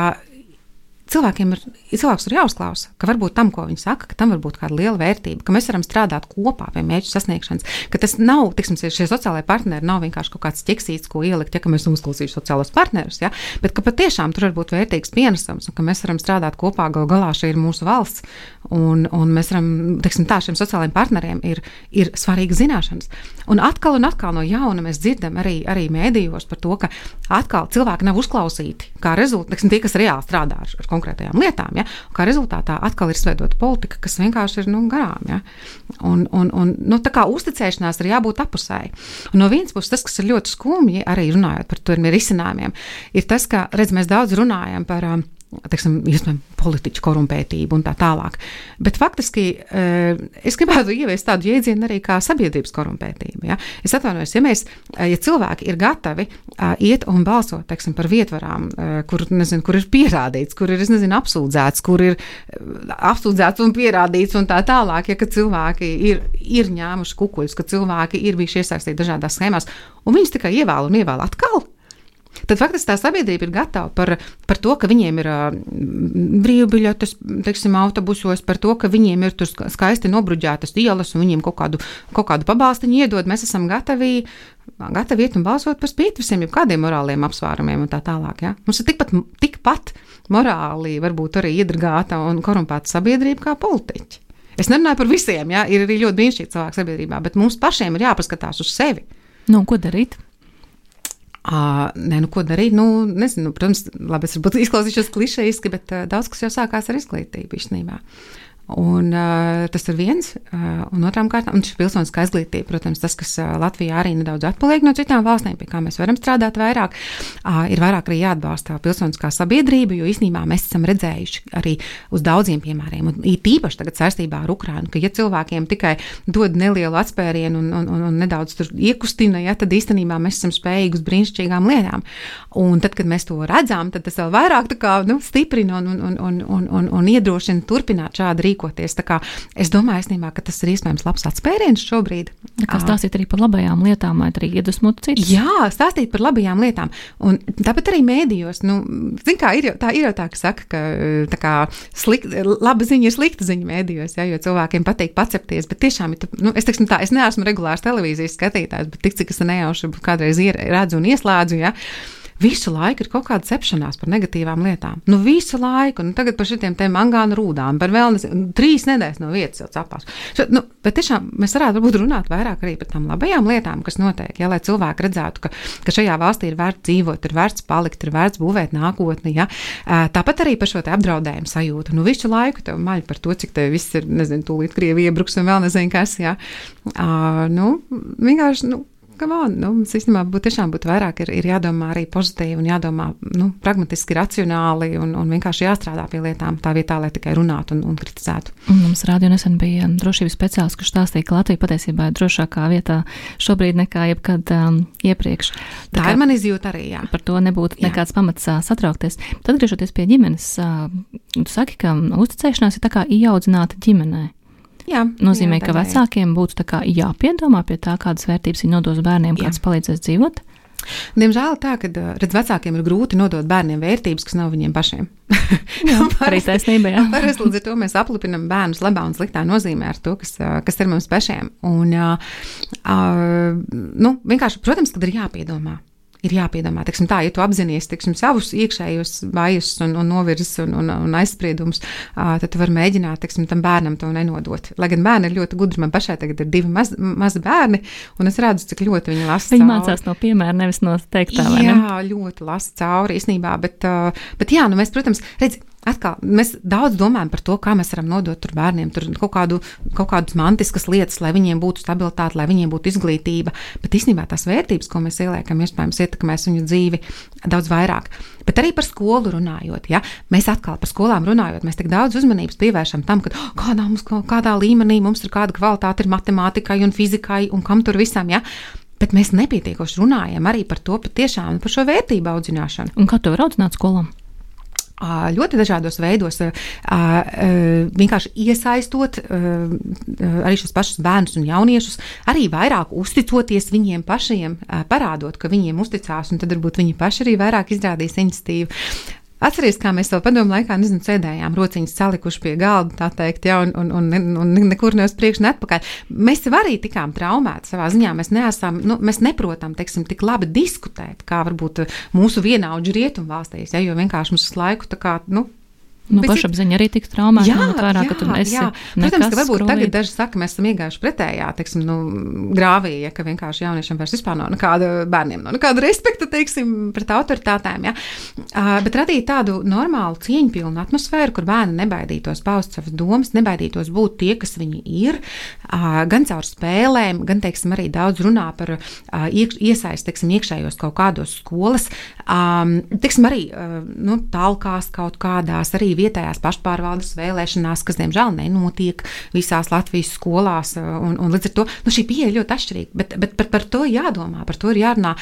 cilvēkiem ir, cilvēks ir jāuzklausa, ka varbūt tam, ko viņi saka, ka tam var būt kāda liela vērtība, ka mēs varam strādāt kopā pie mērķu sasniegšanas, ka tas nav, tiksim, šie sociālai partneri nav vienkārši kaut kāds ķeksīts, ko ielikt, ja, ka mēs uzklausīšu sociālos partnerus, ja, bet ka patiešām tur var būt vērtīgs pienesums, un ka mēs varam strādāt kopā, gal galā šī ir mūsu valsts, un, un mēs varam, tiksim, tā šiem sociālajiem partneriem ir, ir svarīga zināšanas. Un atkal un atkal no jauna mēs dzirdam arī, arī mēdījos par to, ka atkal cilvēki nav uzklausīti, kā rezultāti, tiksim, tie, kas reāli strādā ar konkrētu konkrētajām lietām, ja? Un kā rezultātā atkal ir izveidota politika, kas vienkārši ir, nu, garām, ja? Un, un, un, nu, tā kā uzticēšanās ir jābūt apusēji. Un no vienas puses tas, kas ir ļoti skumji, arī runājot par tiem risinājumiem, ir tas, ka, redz, mēs daudz runājam par, teiksim, iespējams, politiķu korumpētību un tā tālāk. Bet faktiski es gribētu ieviest tādu jēdzienu arī kā sabiedrības korumpētību. Ja? Es atvainojos, ja mēs, ja cilvēki ir gatavi iet un balsot, teiksim, par vietvarām, kur, nezinu, kur ir pierādīts, kur ir, es nezinu, apsūdzēts, kur ir apsūdzēts un pierādīts un tā tālāk, ja ka cilvēki ir, ir ņēmuši kukuļus, ka cilvēki ir bijuši iesaistīti dažādās schēmās, un viņus tikai ievēl un ievēl atkal. Tad faktiski tā sabiedrība ir gatava par, par to, ka viņiem ir uh, brīvbiļetes, teiksim, autobusos, par to, ka viņiem ir tur skaisti nobruģētas ielas un viņiem kaut kādu, kaut kādu pabalstiņu iedod. Mēs esam gatavi, gatavi iet un balsot par spīti visiem, jau kādiem morāliem apsvērumiem un tā tālāk. Ja? Mums ir tikpat, tikpat morāli, varbūt arī iedragāta un korumpēta sabiedrība kā politiķi. Es nerunāju par visiem, ja? Ir arī ļoti brīnišķīgi cilvēki sabiedrībā, bet mums pašiem ir jāpaskatās uz sevi. Nu, ko darīt? Uh, nē, nu ko darīt? Nu, nezinu, protams, labi, es varbūt izklausīšos klišejiski, bet uh, daudz kas jau sākās ar izglītību īstenībā. Un uh, tas ir viens, uh, un otrām kārtām, un šī pilsoniskā izglītība, protams, tas, kas uh, Latvijā arī nedaudz atpaliek no citām valstīm, pie kā mēs varam strādāt vairāk, uh, ir vairāk arī jāatbalsta pilsoniskā sabiedrība, jo īstenībā mēs esam redzējuši arī uz daudziem piemēriem, un īpaši tagad saistībā ar Ukrainu, ka ja cilvēkiem tikai dod nelielu atspērienu un, un, un, un nedaudz tur iekustina, ja, tad īstenībā mēs esam spējīgi uz brīnišķīgām lietām. Un tad, kad mēs to redzām, tad tas vēl vairāk tā kā, nu, stiprina un, un, un, un, un, un, un iedrošina turpināt šādi rīkoties. Tā kā es domāju, īstenībā, ka tas ir iespējams labs atspēriens šobrīd. Kā stāstīt arī par labajām lietām, vai arī iedvesmot citus? Jā, stāstīt par labajām lietām. Un tāpat arī mēdījos, nu, zin kā, ir jau tā, ir jau tā, ka saka, ka tā kā slikt, laba ziņa ir slikta ziņa mēdījos, ja, jo cilvēkiem patīk pacepties, bet tiešām, nu, es teiksim tā, es neesmu regulārs televīzijas skatītājs, bet tik, cik es nejauši kādreiz redzu un ieslēdzu, ja, visu laiku ir kaut kāda cepšanās par negatīvām lietām. Nu, visu laiku. Nu, tagad par šitiem te mangānu rūdām, par vēl nezinu, trīs nedēļas no vietas jau capās. Šo, nu, bet tiešām mēs varētu varbūt runāt vairāk arī par tām labajām lietām, kas notiek, ja, lai cilvēki redzētu, ka, ka šajā valstī ir vērts dzīvot, ir vērts palikt, ir vērts būvēt nākotni, ja. Tāpat arī par šo te apdraudējumu sajūtu. Nu, visu laiku tev maļ par to, cik te viss ir, nezinu, tūlīt Krievi iebruks un vēl nezinu kas, ja. Uh, nu, vienkārši, nu, On, nu, īstenībā būtu tiešām būtu vairāk ir, ir jādomā arī pozitīvi un jādomā, nu, pragmatiski, racionāli un, un vienkārši jāstrādā pie lietām tā vietā, lai tikai runātu un, un kritizētu. Un mums rādio nesen bija drošības speciālists, kurš stāstīja, ka Latvija patiesībā ir drošākā vietā šobrīd nekā jebkad um, iepriekš. Tā, tā ir man izjūta arī, jā. Par to nebūtu jā. Nekāds pamats uh, satraukties. Tad, griežoties pie ģimenes, uh, tu saki, ka uzticēšanās ir tā kā ieaudzināta ģimenē. Jā, nozīmē, jā, ka vecākiem būtu tā kā jāpiedomā pie tā, kādas vērtības viņi nodos bērniem, kāds palīdzēs dzīvot? Diemžēl tā, ka, redz, vecākiem ir grūti nodot bērniem vērtības, kas nav viņiem pašiem. Jā, arī taisnība, jā. Parasti līdz ar to mēs aplipinam bērnus labā un sliktā nozīmē ar to, kas, kas ir mums pašiem. Un, uh, nu, vienkārši, protams, kad ir jāpiedomā. Ir jāpiedomā, teiksim tā, ja tu apzinies, teiksim, savus iekšējos vājus un, un novirzes un, un, un aizspriedumus, uh, tad tu vari mēģināt, teiksim, tam bērnam to nenodot. Lai gan bērni ir ļoti gudri, man pašai tagad ir divi maz, mazi bērni, un es redzu, cik ļoti viņi lasa viņi cauri. Viņi mācās no piemēra, nevis no teiktā, vai ne? Jā, ļoti lasa cauri, īstenībā, bet, uh, bet jā, nu mēs, protams, redz, atkal, mēs daudz domājam par to, kā mēs varam nodot tur bērniem tur kaut, kādu, kaut kādas mantiskas lietas, lai viņiem būtu stabilitāte, lai viņiem būtu izglītība, bet īstenībā tās vērtības, ko mēs ieliekam, iespējams ietekmēs viņu dzīvi daudz vairāk. Bet arī par skolu runājot, ja, mēs atkal par skolām runājot, mēs tik daudz uzmanības pievēršam tam, ka oh, kādā, mums, kādā līmenī mums ir kāda kvalitāte ir matemātikai un fizikai un kam tur visam, ja, bet mēs nepietiekoši runājam arī par to patiešām, par šo vērtību audzināšanu. Un kā to var audzināt skolām? Ļoti dažādos veidos, vienkārši iesaistot arī šos pašus bērnus un jauniešus, arī vairāk uzticoties viņiem pašiem, parādot, ka viņiem uzticās, un tad varbūt viņi paši arī vairāk izrādīs iniciatīvu. Atceries, kā mēs vēl padomu laikā, nezinu, sēdējām rociņas salikuši pie galda, tā teikt, ja, un, un, un, un nekur ne uz priekšu, ne atpakaļ. Mēs jau arī tikām traumēti savā ziņā, mēs neesam, nu, mēs neprotam, teiksim, tik labi diskutēt, kā varbūt mūsu vienaudži rietumvalstīs, ja, jo vienkārši mums uz laiku tā kā, nu, Nu, pašapziņa arī tik traumēta, ņemot vērā, ka tu esi jā. Protams, ka varbūt tagad daži saka, mēs esam iegājuši pretējā, teiksim, nu, grāvī, ja, ka vienkārši jauniešiem vairs vispār nav nekāda bērniem, nav nekāda respekta, teiksim, pret autoritātēm, ja. Uh, bet radīt tādu normālu cieņpilnu atmosfēru, kur bērni nebaidītos paust savas domas, nebaidītos būt tie, kas viņi ir, uh, gan caur spēlēm, gan, teiksim, arī daudz runā par uh, iekš, iesaist, teiksim, iekšējos kaut kādos skolas, um, teiksim, arī, uh, nu, talkās kaut kādās, arī vietējās pašpārvaldes vēlēšanās, kas, diemžēl, nenotiek visās Latvijas skolās, un, un līdz ar to, nu, šī pieeja ļoti atšķirīga, bet, bet par, par to jādomā, par to ir jārunā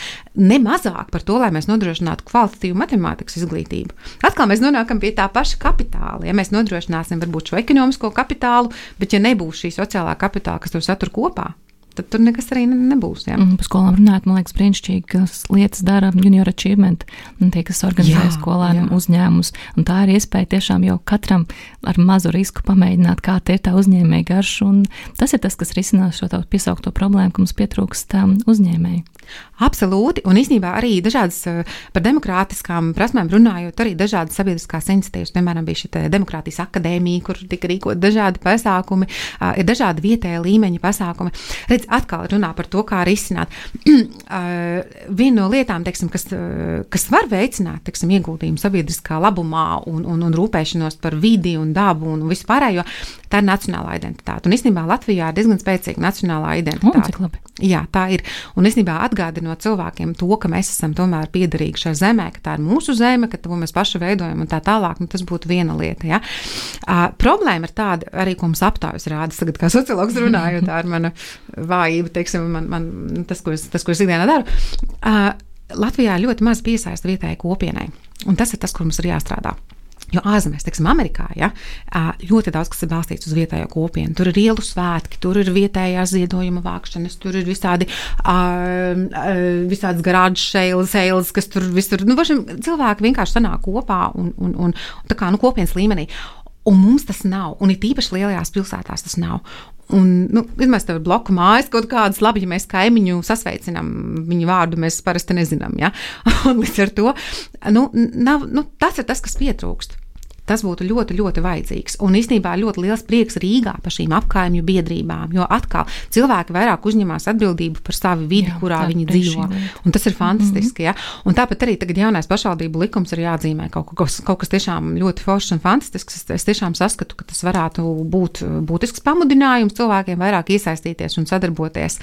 ne mazāk par to, lai mēs nodrošinātu kvalitatīvu matemātikas izglītību. Atkal mēs nonākam pie tā paša kapitāla, ja mēs nodrošināsim varbūt šo ekonomisko kapitālu, bet ja nebūs šī sociālā kapitāla, kas to satur kopā, tad tur nekas arī nebūs. Jā. Mm, par skolām runāt, man liekas, brīnišķīgi, kas lietas dara Junior Achievement, un tie, kas organizē skolēniem uzņēmumus, un tā ir iespēja tiešām jau katram ar mazu risku pamēģināt, kā tie ir tā uzņēmēja garš, un tas ir tas, kas risinās šo tavu piesaukto problēmu, ka mums pietrūkst uzņēmēji. Absolūti, un īstenībā arī dažādas par demokrātiskām prasmēm runājot, arī dažādas sabiedriskās iniciatīvas, piemēram, bija šī demokrātijas akadēmija, kur tika rīkot dažādi pasākumi, ir dažādi vietēja līmeņa pasākumi. Redz, atkal runā par to, kā risināt. Viena no lietām, teiksim, kas, kas var veicināt, teiksim, ieguldījumu sabiedriskā labumā un, un, un rūpēšanos par vidi un dabu un vispārējo, tā ir nacionālā identitāte. Un īstenībā Latvijā ir diezgan spēcīga nacionālā identitāte. Un, cik labi. Jā, tā ir. Un īstenībā atgādinot cilvēkiem to, ka mēs esam tomēr piederīgi šai zemē, ka tā ir mūsu zeme, ka to mēs paši veidojam un tā tālāk, nu, tas būtu viena lieta. Ja? Uh, problēma ir tāda, arī ko mums aptaujas rāda, tagad kā sociologs runāju, tā ir mana vājība, teiksim, man, man, tas, ko es, tas, ko es ikdienā daru. Uh, Latvijā ļoti maz piesaista vietējai kopienai, un tas ir tas, kur mums ir jāstrādā. Jo ārzemēs, teiksim, Amerikā, ja, ļoti daudz, kas ir balstīts uz vietējo kopienu. Tur ir ielu svētki, tur ir vietējās ziedojuma vākšanas, tur ir visādi, uh, visādas garāžas sales, kas tur visur, nu, važam, cilvēki vienkārši sanāk kopā un, un, un tā kā, nu, kopienas līmenī. Un mums tas nav, un it īpaši lielajās pilsētās tas nav. Un, nu, mēs tev ir bloku mājas kaut kādas, labi, ja mēs kaimiņu sasveicinām, viņu vārdu mēs parasti nezinām, ja? Un līdz ar to, nu, nav, nu, tas ir tas, kas pietrūkst. Tas būtu ļoti, ļoti vajadzīgs. Un īstenībā ļoti liels prieks Rīgā par šīm apkaimju biedrībām, jo atkal cilvēki vairāk uzņemās atbildību par savu vidi, jā, kurā viņi dzīvo. Un tas ir fantastiski, ja? Un tāpat arī tagad jaunais pašvaldību likums ir jāatzīmē kaut kas, kaut kas tiešām ļoti foršs un fantastisks. Es, es tiešām saskatu, ka tas varētu būt būtisks pamudinājums cilvēkiem vairāk iesaistīties un sadarboties.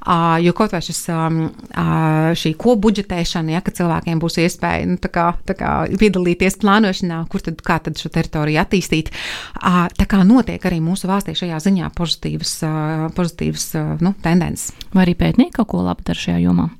Uh, jo kaut vai šis, um, uh, šī kopbudžetēšana, ja, ka cilvēkiem būs iespēja, nu, tā kā, tā kā piedalīties plānošanā, kur tad, kā tad šo teritoriju attīstīt. Tā kā notiek arī mūsu valstī šajā ziņā pozitīvas, pozitīvas nu, tendences. Vai arī pētnieki kaut ko labi dara šajā jomā?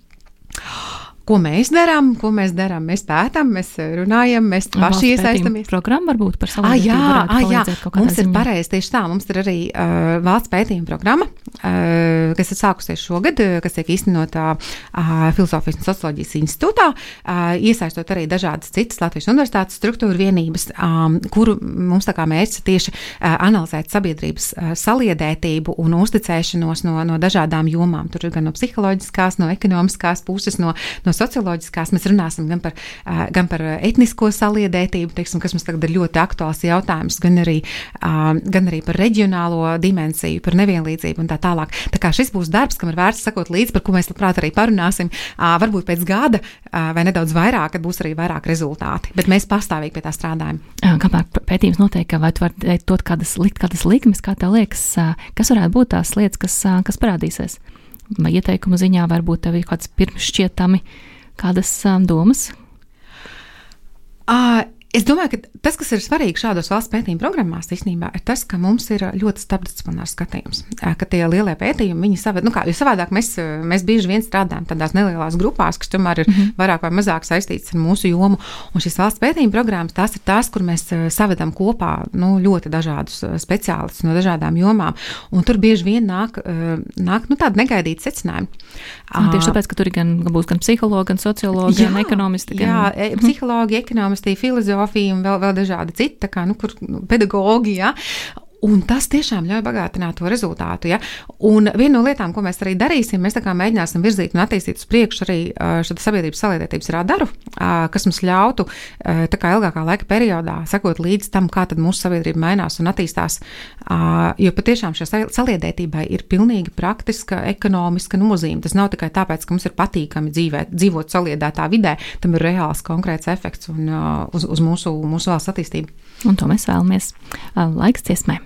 Ko mēs darām, ko mēs darām? Mēs pētām, mēs runājam, mēs paši iesaistamies. Programma varbūt par sabiedrību ah, varētu palīdzēt kaut kādā mums ziņā. Ir pareizi tieši tā. Mums ir arī uh, valsts pētījuma programma, uh, kas ir sākusies šogad, kas tiek īstenotā uh, Filozofijas un socioloģijas institūtā, uh, iesaistot arī dažādas citas Latvijas universitātes struktūra vienības, um, kuru mums tā kā mērķis tieši uh, analizēt sabiedrības uh, saliedētību un uzticēšanos no, no dažādām jomām. Tur ir gan no psiholoģiskās, no ekonomiskās puses, no, no socioloģiskās, mēs runāsim gan par, uh, gan par etnisko saliedētību, teiksim, kas mums tagad ir ļoti aktuāls jautājums, gan arī, uh, gan arī par reģionālo dimensiju, par nevienlīdzību un tā tālāk. Tā kā šis būs darbs, kam ir vērts sakot līdzi, par ko mēs labprāt arī parunāsim, uh, varbūt pēc gada uh, vai nedaudz vairāk, kad būs arī vairāk rezultāti, bet mēs pastāvīgi pie tā strādājam. Kamēr pētījums notiek, vai tu vari dot kādas, likt kādas likmes, kā tev liekas, kas varētu būt tās lietas, kas, kas parādīsies? Vai ieteikumu ziņā varbūt tev ir kāds pirmšķietami kādas um, domas? Uh, es domāju, ka tas, kas ir svarīgi šādos valsts pētījuma programmās, īstenībā, ir tas, ka mums ir ļoti starpdisciplinārs skatījums. Ka tie lielie pētījumi, viņi savād, nu kā, jo savādāk mēs, mēs bieži vien strādājam tādās nelielās grupās, kas tomēr ir mm-hmm. vairāk vai mazāk saistītas ar mūsu jomu. Un šīs valsts pētījuma programmas, tās ir tās, kur mēs savedam kopā nu, ļoti dažādus speciālistus no dažādām jomām. Un tur bieži vien nāk, nāk nu, tādi negaidīti secinājumi. Un tieši tāpēc, ka tur ir gan, būs gan psihologi, gan sociologi, jā, gan ekonomisti. Gan... Jā, psihologi, ekonomisti, filozofija un vēl, vēl dažādi citi, tā kā, nu, kur nu, pedagogi, jā. Un tas tiešām ļauj bagātināt to rezultātu. Ja? Un viena no lietām, ko mēs arī darīsim, mēs tā kā mēģināsim virzīt un attīstīt uz priekšu arī šo sabiedrības saliedētības radaru, kas mums ļautu tā kā ilgākā laika periodā sekot līdz tam, kā tad mūsu sabiedrība mainās un attīstās. Jo patiešām šai saliedētībai ir pilnīgi praktiska, ekonomiska nozīme. Tas nav tikai tāpēc, ka mums ir patīkami dzīvēt, dzīvot saliedētā vidē, tam ir reāls konkrēts efekts un, uz, uz mūsu, mūsu valsts attīstību. Un to mēs vēlamies. Laiks dziesmai.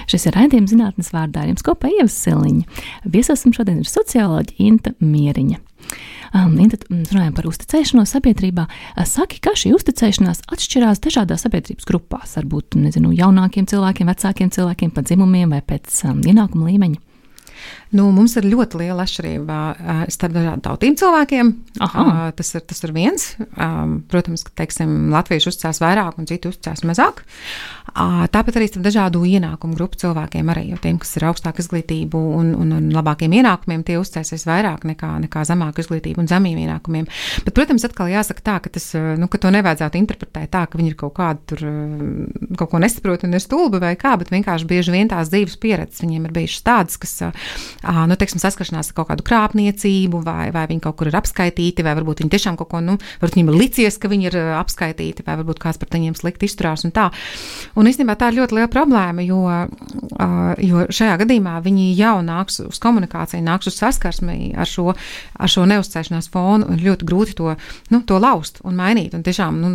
Šis ir raidījums zinātnes vārdā, ar jums kopā Ieva Siliņa. Viesosim šodien ir socioloģe Inta Mieriņa. Um, Inta, runājam par uzticēšanos sabiedrībā. Saki, kā šī uzticēšanās atšķirās dažādās sabiedrības grupās, varbūt, nezinu, jaunākiem cilvēkiem, vecākiem cilvēkiem, pa dzimumiem vai pēc um, ienākuma līmeņa? Nu, mums ir ļoti liela atšķirība starp dažādiem tautīm cilvēkiem. Uh, tas, ir, tas ir viens. Um, protams, ka, teiksim, latvieši uzticās vairāk un citi uzticās mazāk. Uh, tāpat arī starp dažādu ienākumu grupu cilvēkiem arī, jo tiem, kas ir augstāka izglītība un, un, un labākiem ienākumiem, tie uzticēsies vairāk nekā, nekā zemāka izglītība un zemiem ienākumiem. Bet, protams, atkal jāsaka tā, ka, tas, nu, ka to nevajadzētu interpretēt tā, ka viņi ir kaut kādu tur, kaut ko nesaprot un ir stulbi vai kā, bet vienkārši bieži vien tās dzīves pieredzes viņiem ir bijušas tādas, kas Uh, nu, teiksim, saskaršanās ar kaut kādu krāpniecību, vai, vai viņi kaut kur ir apskaitīti, vai varbūt viņi tiešām kaut ko, nu, varbūt viņiem ir licies, ka viņi ir apskaitīti, vai varbūt kāds par viņiem slikti izturās un tā. Un īstenībā tā ir ļoti liela problēma, jo, uh, jo šajā gadījumā viņi jau nāks uz komunikāciju, nāks uz saskarsmi ar šo, ar šo neuzticēšanās fonu, un ļoti grūti to, nu, to laust un mainīt. Un tiešām, nu,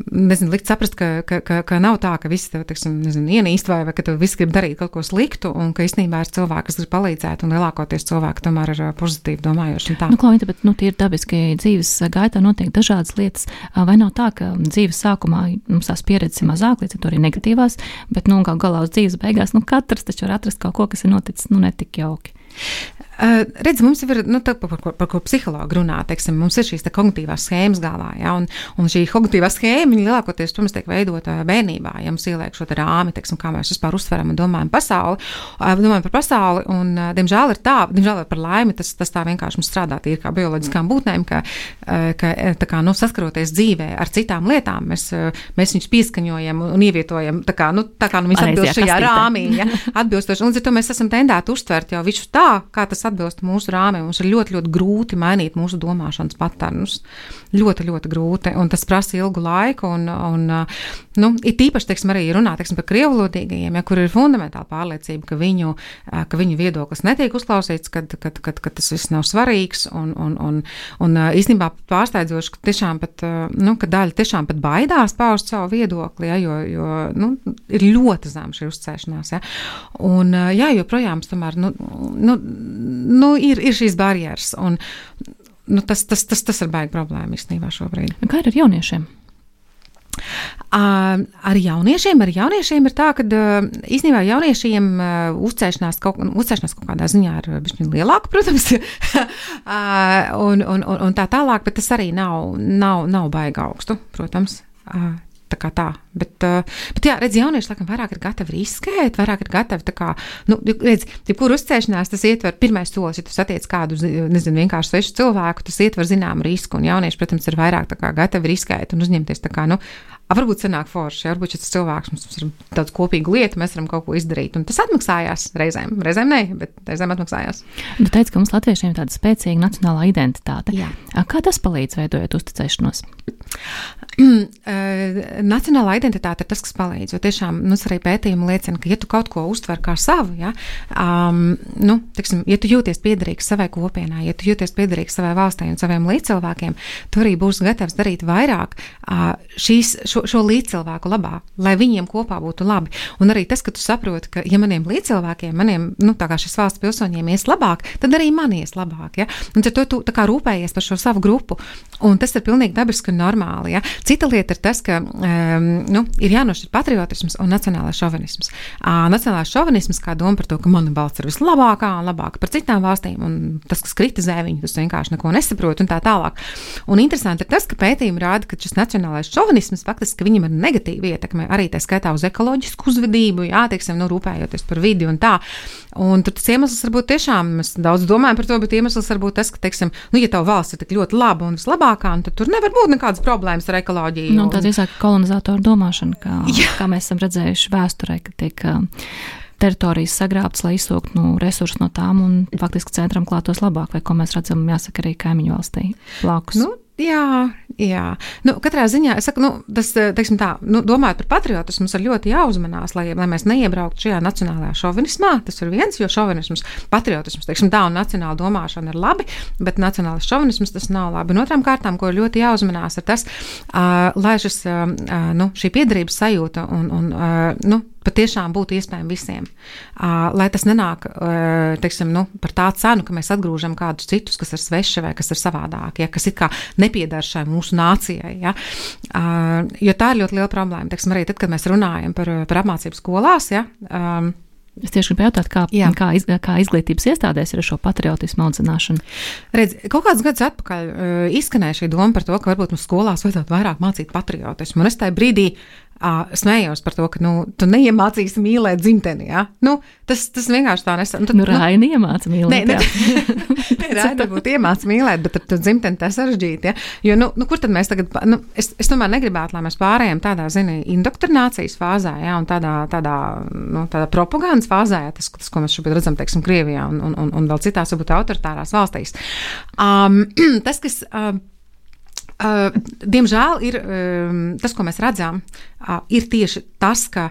nezinu, likt saprast, ka, ka, ka, ka nav tā, ka visi tev, teiksim, nezinu, ienīst vai, vai ka tev visi grib darīt kaut ko sliktu, un ka īstenībā ir cilvēki, kas grib palīdzēt, un lielākoties cilvēki tomēr ir pozitīvi domājoši. Nu, Klaunita, bet nu, tie ir dabiski dzīves gaitā notiek dažādas lietas. Vai nav tā, ka dzīves sākumā mums tās pieredzes ir mazāk, līdz ar to arī negatīvās, bet nu, gal galā uz dzīves beigās, nu, katrs taču var atrast kaut ko, kas ir noticis, nu, netik jauki. Uh, redz, mums ir, nu, tā, par, par, par ko psihologi runā, teiksim, mums ir šīs te kognitīvās schēmas galvā, ja, un, un šī kognitīvā schēma, viņa lielākoties, protams, tiek veidota bērnībā, ja mums ieliek šo te rāmi, teiksim, kā mēs vispār uztveram un domājam pasauli, uh, domājam par pasauli, un, uh, diemžēl ir tā, diemžēl ir par laimi, tas, tas tā vienkārši mums strādā tīri kā bioloģiskām būtnēm, ka, uh, ka tā kā, nu, saskaroties dzīvē ar citām lietām, mēs, uh, mēs viņus pieskaņojam un, un ievietojam, tā kā, nu, tā kā, nu, mēs atbilst šajā rāmī, ja, atbilstoši, un līdz ar to mēs esam tendēti uztvert jau visu tā, kā tas atbilst mūsu rāmiem. Mums ir ļoti, ļoti grūti mainīt mūsu domāšanas paternus. Ļoti, ļoti grūti, un tas prasa ilgu laiku, un, un nu, ir tīpaši, teiksim, arī runā, teiksim, par krievvalodīgajiem, ja, kur ir fundamentāla pārliecība, ka viņu, ka viņu viedoklis netiek uzklausīts, kad, kad, kad, kad tas viss nav svarīgs, un, un, un, un īstenībā pārsteidzoši, ka tiešām pat, nu, ka daļa tiešām pat baidās paust savu viedokli, ja, jo, jo, nu, ir ļoti zem šī uzticēšanās, ja, un, jā, joprojām, tomēr, nu, nu, nu ir, ir šīs barjeras, un nu, tas, tas, tas, tas ir baigi problēma īstenībā šobrīd. Kā ir ar jauniešiem? Uh, ar jauniešiem, ar jauniešiem ir tā, ka uh, īstenībā jauniešiem uh, uzcēšanās, kaut, uzcēšanās kaut kādā ziņā ir bišķiņ lielāka, protams, uh, un, un, un, un tā tālāk, bet tas arī nav, nav, nav baigi augstu, protams. Uh, Tā kā tā, bet, bet jā, redz, jaunieši, laikam, vairāk ir gatavi riskēt, vairāk ir gatavi, tā kā, nu, redz, jebkur uzcēšanās, tas ietver pirmais solis, ja tu satiec kādu, nezinu, vienkārši svešu cilvēku, tas ietver zināmu risku, un jaunieši, protams, ir vairāk tā kā gatavi riskēt un uzņemties tā kā, nu, varbūt sanāk forši, ja, varbūt šis cilvēks, mums ir daudz kopīgu lietu, mēs varam kaut ko izdarīt, un tas atmaksājās reizēm, reizēm ne, bet reizēm atmaksājās. Tu teici, ka mums latviešiem ir tāda spēcīga nacionālā identitāte. Jā. Kā tas palīdz veidojot uzticēšanos? Nacionālā identitāte ir tas, kas palīdz, jo tiešām, nu, arī pētījumi liecina, ka ja tu kaut ko uztver kā savu, ja, um, nu, tiksim, ja tu jūties piederīgs savai kopienā, ja tu jūties piederīgs savai valstī un saviem līdzcilvēkiem, tu arī būsi gatavs darīt vairāk uh, šīs, šo, šo līdzcilvēku labā, lai viņiem kopā būtu labi. Un arī tas, ka tu saproti, ka ja maniem līdzcilvēkiem, maniem, nu, tā kā šis valsts pilsoņiem ies labāk, tad arī man ies labāk, ja. Un tad tu, tu tā kā rūpējies par šo savu grupu. Un tas ir pilnīgi dabiski un normāli. Ja? Cita lieta ir tas, ka um, nu, ir jānošķir patriotisms un nacionālais šovinisms. Uh, nacionālais šovinisms kā doma par to, ka mana valsts ir vislabākā un labāka par citām valstīm, un tas, kas kritizē viņu, tas vienkārši neko nesaprot un tā tālāk. Un interesanti ir tas, ka pētījumi rāda, ka šis nacionālais šovinisms faktiski viņam ir negatīva ietekme arī tā skaitā uz ekoloģisku uzvedību, jā, teiksim, nu, rūpējoties par vidi un tā. Un tur tas iemesls varbūt tiešām, mēs daudz domājam par to, bet iemesls varbūt tas, ka, teiksim, nu, ja tava valsts ir tik ļoti laba un vislabākā, un tad tur nevar būt nekādas problēmas ar ekoloģiju. Nu, tā ir kolonizatoru domāšana, kā, kā mēs esam redzējuši vēsturē, ka tiek uh, teritorijas sagrābtas, lai izsūktu nu, resursus no tām un faktiski centram klātos labāk, vai ko mēs redzam, jāsaka, arī kaimiņu valstī blakus. Nu, jā, jā. Nu, katrā ziņā, es saku, nu, tas, teiksim tā, nu, domājot par patriotismu, mums ir ļoti jāuzmanās, lai, lai mēs neiebrauktu šajā nacionālajā šovinismā. Tas ir viens, jo šovinisms, patriotisms, teiksim tā, un nacionāla domāšana ir labi, bet nacionālais šovinisms tas nav labi. Un otrām kārtām, ko ir ļoti jāuzmanās, ir tas, uh, lai šis, uh, nu, šī piederības sajūta un, un uh, nu, patiešām būtu iespējami visiem. Uh, lai tas nenāk, uh, teiksim, nu, par tā cenu, ka mēs atgrūžam kādus citus, kas ir sveši vai kas ir savādāki, ja, kas ir kā nepiedar šai mūsu nācijai. Ja. Uh, jo tā ir ļoti liela problēma. Teiksim, arī tad, kad mēs runājam par, par apmācību skolās, ja, um, es tieši gribēju jautāt, kā, kā, iz, kā izglītības iestādēs ir šo patriotismu audzināšanu. Redz, kaut kāds gads atpakaļ uh, izskanēja šī doma par to, ka varbūt mums skolās vajadzētu vairāk mācīt patriotismu. Un es tajā brīdī uh, smējos par to, ka, nu, tu neiemācīsi mīlēt dzimteni, ja? Nu, tas, tas vienkārši tā nesam. Nu, Raini nu, iemāca mīlēt. Ne, ne, Raini būtu iemāca mīlēt, bet ar to dzimteni tā sarežģīti, ja? Jo, nu, nu, kur tad mēs tagad, nu, es, es tomēr negribētu, lai mēs pārējām tādā, zini, indoktrinācijas fāzē, ja? Un tādā, tādā, nu, tādā propagandas fāzē, ja? tas, tas, ko mēs šobrīd redzam, teiksim, Krievijā un, un, un, un vēl citās, varbūt autoritārās valstīs. Um, tas, kas... Um, Uh, diemžēl ir um, tas, ko mēs redzam, uh, ir tieši tas, ka